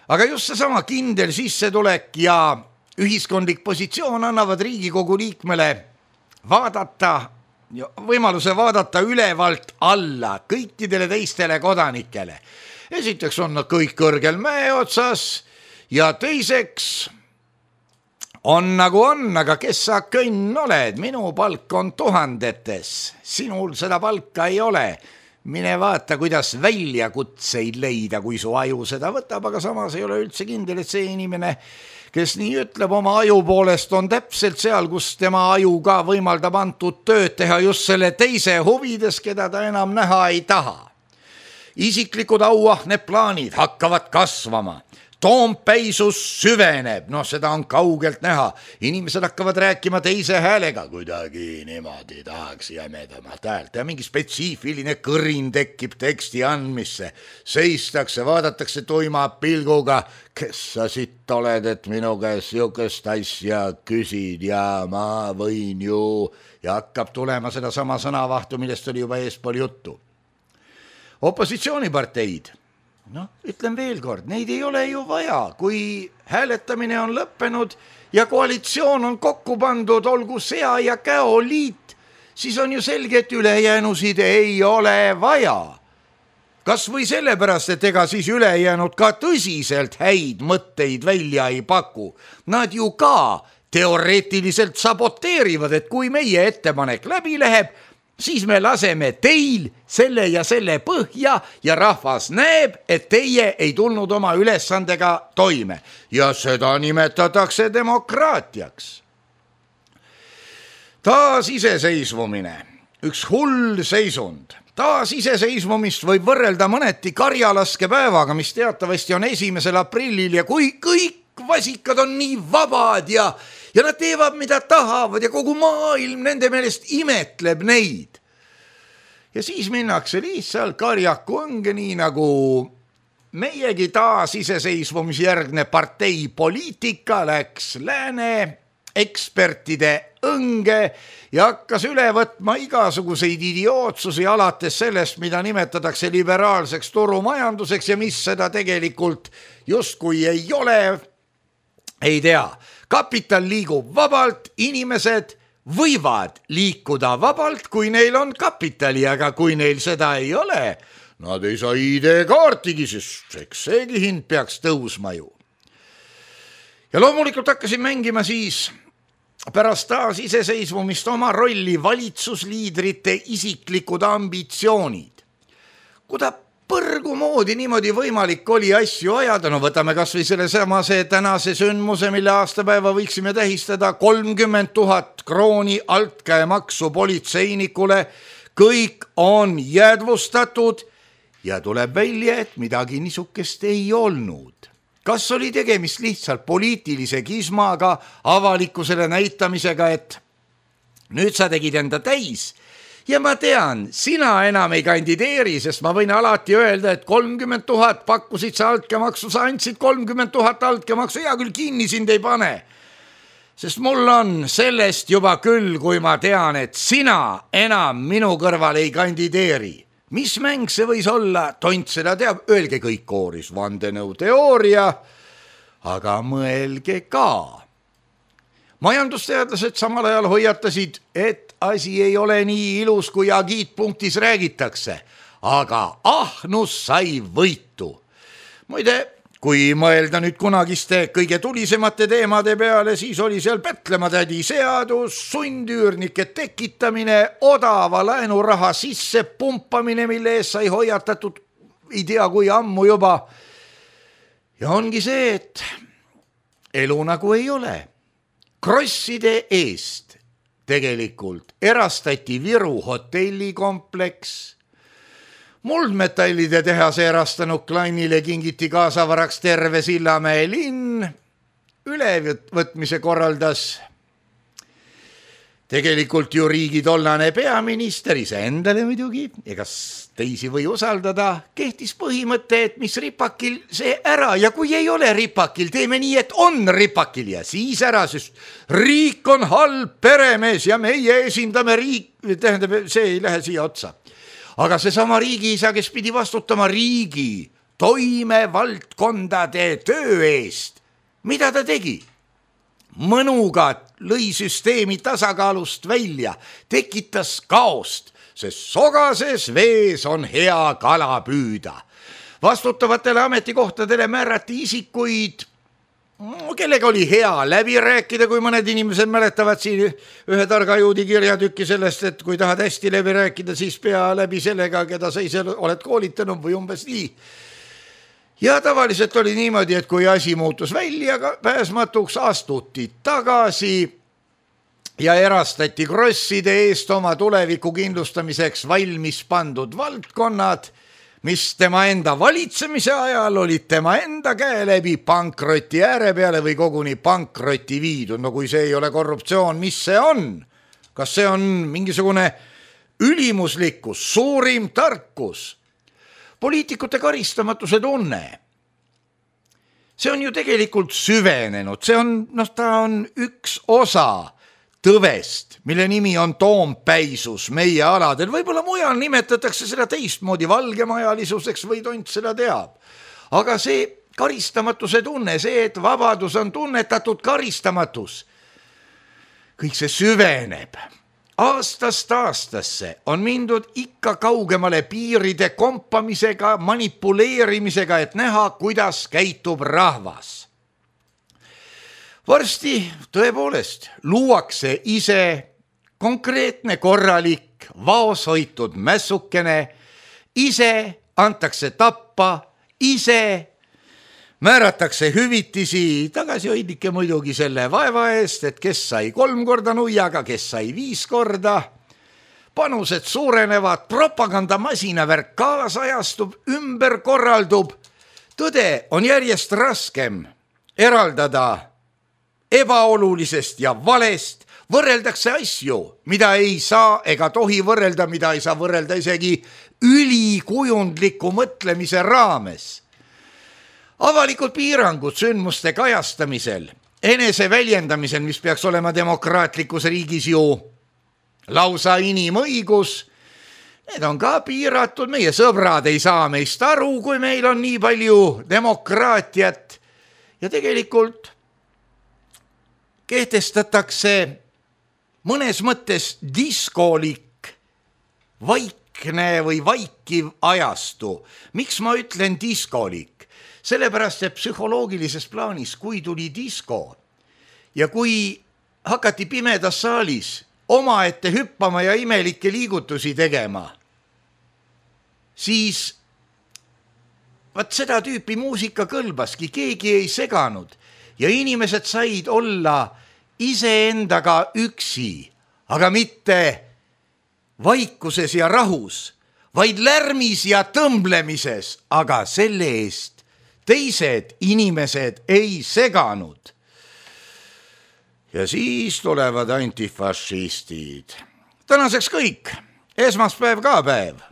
Aga just seesama kindel sissetulek ja ühiskondlik positsioon annavad Riigikogu liikmele võimaluse vaadata ülevalt alla kõikidele teistele kodanikele. Esiteks on nad kõik kõrgel mäe otsas ja teiseks on nagu on, aga kes sa kõnn oled, minu palk on tuhandetes, sinul seda palka ei ole. Mine vaata, kuidas väljakutseid leida, kui su aju seda võtab, aga samas ei ole üldse kindel, et see inimene, kes nii ütleb oma aju poolest, on täpselt seal, kus tema aju ka võimaldab antud tööd teha just selle teise huvides, keda ta enam näha ei taha. Isiklikud auahned plaanid hakkavad kasvama. Toompeisus süveneb, seda on kaugelt näha. Inimesed hakkavad rääkima teise häälega, kuidagi niimoodi tahaks jämedamat häält ja mingi spetsiifiline kõrin tekib teksti andmisse. Seistakse, vaadatakse tuima pilguga, kes sa sitt oled, et minu käest sihukest asja küsid ja ma võin ju, ja hakkab tulema seda sama sõnavahtu, millest oli juba eespool juttu. Opositsiooniparteid. Ütlen veel kord, neid ei ole ju vaja, kui hääletamine on lõppenud ja koalitsioon on kokku pandud, olgu sea ja käoliit, siis on ju selge, et ülejäänusid ei ole vaja. Kas või sellepärast, et ega siis ülejäänud ka tõsiselt häid mõtteid välja ei paku. Nad ju ka teoreetiliselt saboteerivad, et kui meie ettepanek läbi läheb, siis me laseme teil selle ja selle põhja ja rahvas näeb, et teie ei tulnud oma ülesandega toime. Ja seda nimetatakse demokraatiaks. Taasiseseisvumine, üks hull seisund. Taasiseseisvumist võib võrrelda mõneti karjalaskepäevaga, mis teatavasti on 1. aprillil ja kui kõik vasikad on nii vabad ja nad teevad, mida tahavad ja kogu maailm nende meelest imetleb neid. Ja siis minnakse lihtsalt karjaku õnge, nii nagu meiegi taasiseseisvumisjärgne partei poliitika läks lääne ekspertide õnge ja hakkas üle võtma igasuguseid idiootsusi alates sellest, mida nimetatakse liberaalseks turumajanduseks ja mis seda tegelikult justkui ei ole, ei tea. Kapital liigub vabalt, inimesed võivad liikuda vabalt, kui neil on kapitali, aga kui neil seda ei ole, nad ei saa ID-kaartigi, sest eks seegi hind peaks tõusma ju. Ja loomulikult hakkasin mängima siis pärast taas iseseisvumist oma rolli valitsusliidrite isiklikud ambitsioonid. Kuda põrgu moodi niimoodi võimalik oli asju ajada, no võtame kas või selle samase tänase sündmuse, mille aastapäeva võiksime tähistada 30 000 krooni altkäemaksu politseinikule, kõik on jäädvustatud ja tuleb välja, et midagi niisugust ei olnud. Kas oli tegemist lihtsalt poliitilise kismaga, avalikkusele näitamisega, et nüüd sa tegid enda täis ja ma tean, sina enam ei kandideeri, sest ma võin alati öelda, et 30 000 pakkusid sa altkäemaksu, sa andsid 30 000 altkäemaksu, hea küll kinni sind ei pane. Sest mul on sellest juba küll, kui ma tean, et sina enam minu kõrval ei kandideeri. Mis mäng see võis olla? Tont seda teab, öelge kõik kooris, vandenõuteooria, aga mõelge ka. Majandusteadlased samal ajal hoiatasid, et asi ei ole nii ilus, kui agiitpunktis räägitakse, aga ahnus sai võitu. Muide, kui mõelda nüüd kunagiste kõige tulisemate teemade peale, siis oli seal Pätlematädi seadus, sundüürnike tekitamine, odava laenuraha sisse pumpamine, mille eest sai hoiatatud ei tea kui ammu juba. Ja ongi see, et elu nagu ei ole. Krosside eest tegelikult erastati Viru hotellikompleks, muldmetallide tehase erastanud Kleinile kingiti kaasavaraks terve Sillamäe linn, ülevõtmise korraldas tegelikult ju riigi tollane peaminister iseendale muidugi, egas teisi või usaldada, kehtis põhimõte, et mis ripakil see ära ja kui ei ole ripakil, teeme nii, et on ripakil ja siis ära, sest riik on halb peremees ja meie esindame tähendab, see ei lähe siia otsa. Aga seesama riigiisa, kes pidi vastutama riigi toimevaldkondade töö eest, mida ta tegi? Mõnuga lõi süsteemi tasakaalust välja, tekitas kaost, sest sogases vees on hea kala püüda. Vastutavatele ametikohtadele määrati isikuid, kellega oli hea läbi rääkida, kui mõned inimesed mäletavad siin ühe targa juudi kirjatükki sellest, et kui tahad hästi läbi rääkida, siis pea läbi sellega, keda sa ise oled koolitanud või umbes nii. Ja tavaliselt oli niimoodi, et kui asi muutus välja pääsmatuks, astuti tagasi ja erastati krosside eest oma tuleviku kindlustamiseks valmis pandud valdkonnad, mis tema enda valitsemise ajal olid tema enda käe läbi pankroti ääre peale või koguni pankroti viidud. No kui see ei ole korruptsioon, mis see on? Kas see on mingisugune ülimuslikkus, suurim tarkus? Poliitikute karistamatuse tunne. See on ju tegelikult süvenenud, see on, ta on üks osa tõvest, mille nimi on toompäisus meie aladel. Võib-olla mujal nimetatakse seda teistmoodi valgemajalisuseks või tont seda teab. Aga see karistamatuse tunne, see, et vabadus on tunnetatud karistamatus, kõik see süveneb. Aastast aastasse on mindud ikka kaugemale piiride kompamisega, manipuleerimisega, et näha, kuidas käitub rahvas. Varsti tõepoolest luuakse ise konkreetne korralik vaoshoitud mässukene, ise antakse tappa, ise määratakse hüvitisi, tagasihoidlike muidugi selle vaeva eest, et kes sai 3 korda nuiaga, kes sai 5 korda. Panused suurenevad, propagandamasinaverk kaasajastub, ümber korraldub. Tõde on järjest raskem eraldada ebaolulisest ja valest, võrreldakse asju, mida ei saa ega tohi võrrelda, mida ei saa võrrelda isegi ülikujundliku mõtlemise raames. Avalikud piirangud sündmuste kajastamisel, enese väljendamisel, mis peaks olema demokraatlikus riigis ju lausa inimõigus, need on ka piiratud, meie sõbrad ei saa meist aru, kui meil on nii palju demokraatiat ja tegelikult kehtestatakse mõnes mõttes diskolik, vaikne või vaikiv ajastu. Miks ma ütlen diskolik? Sellepärast, et psühholoogilises plaanis, kui tuli disko ja kui hakati pimedas saalis omaette hüppama ja imelikke liigutusi tegema, siis vaat seda tüüpi muusika kõlbaski, keegi ei seganud ja inimesed said olla iseendaga üksi, aga mitte vaikuses ja rahus, vaid lärmis ja tõmblemises, aga selle eest teised inimesed ei seganud. Ja siis tulevad antifašistid. Tänaseks kõik. Esmaspäev ka päev.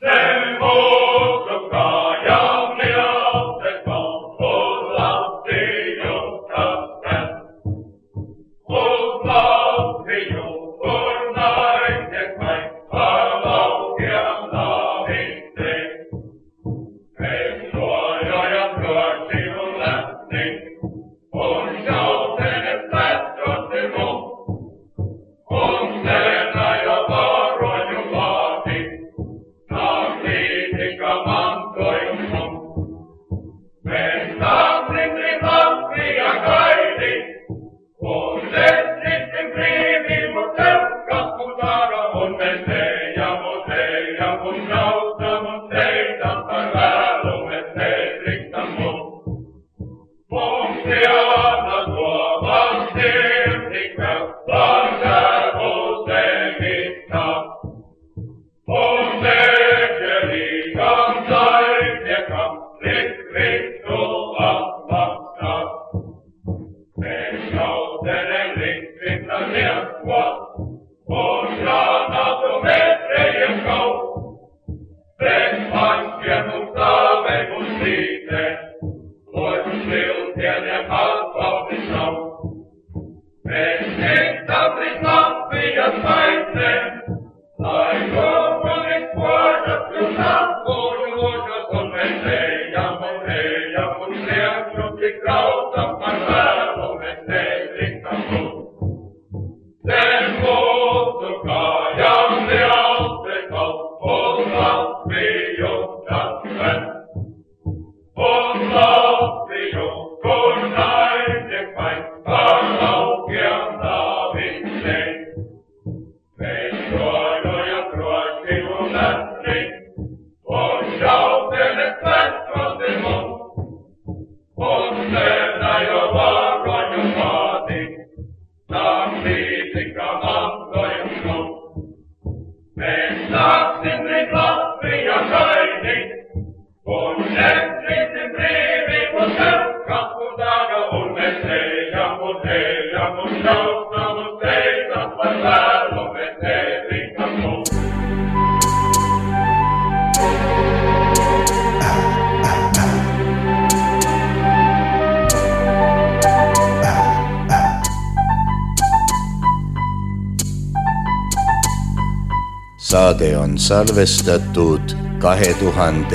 Saade on salvestatud 2012.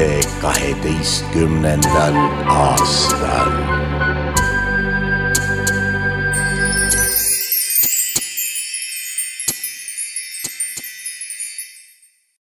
aastal.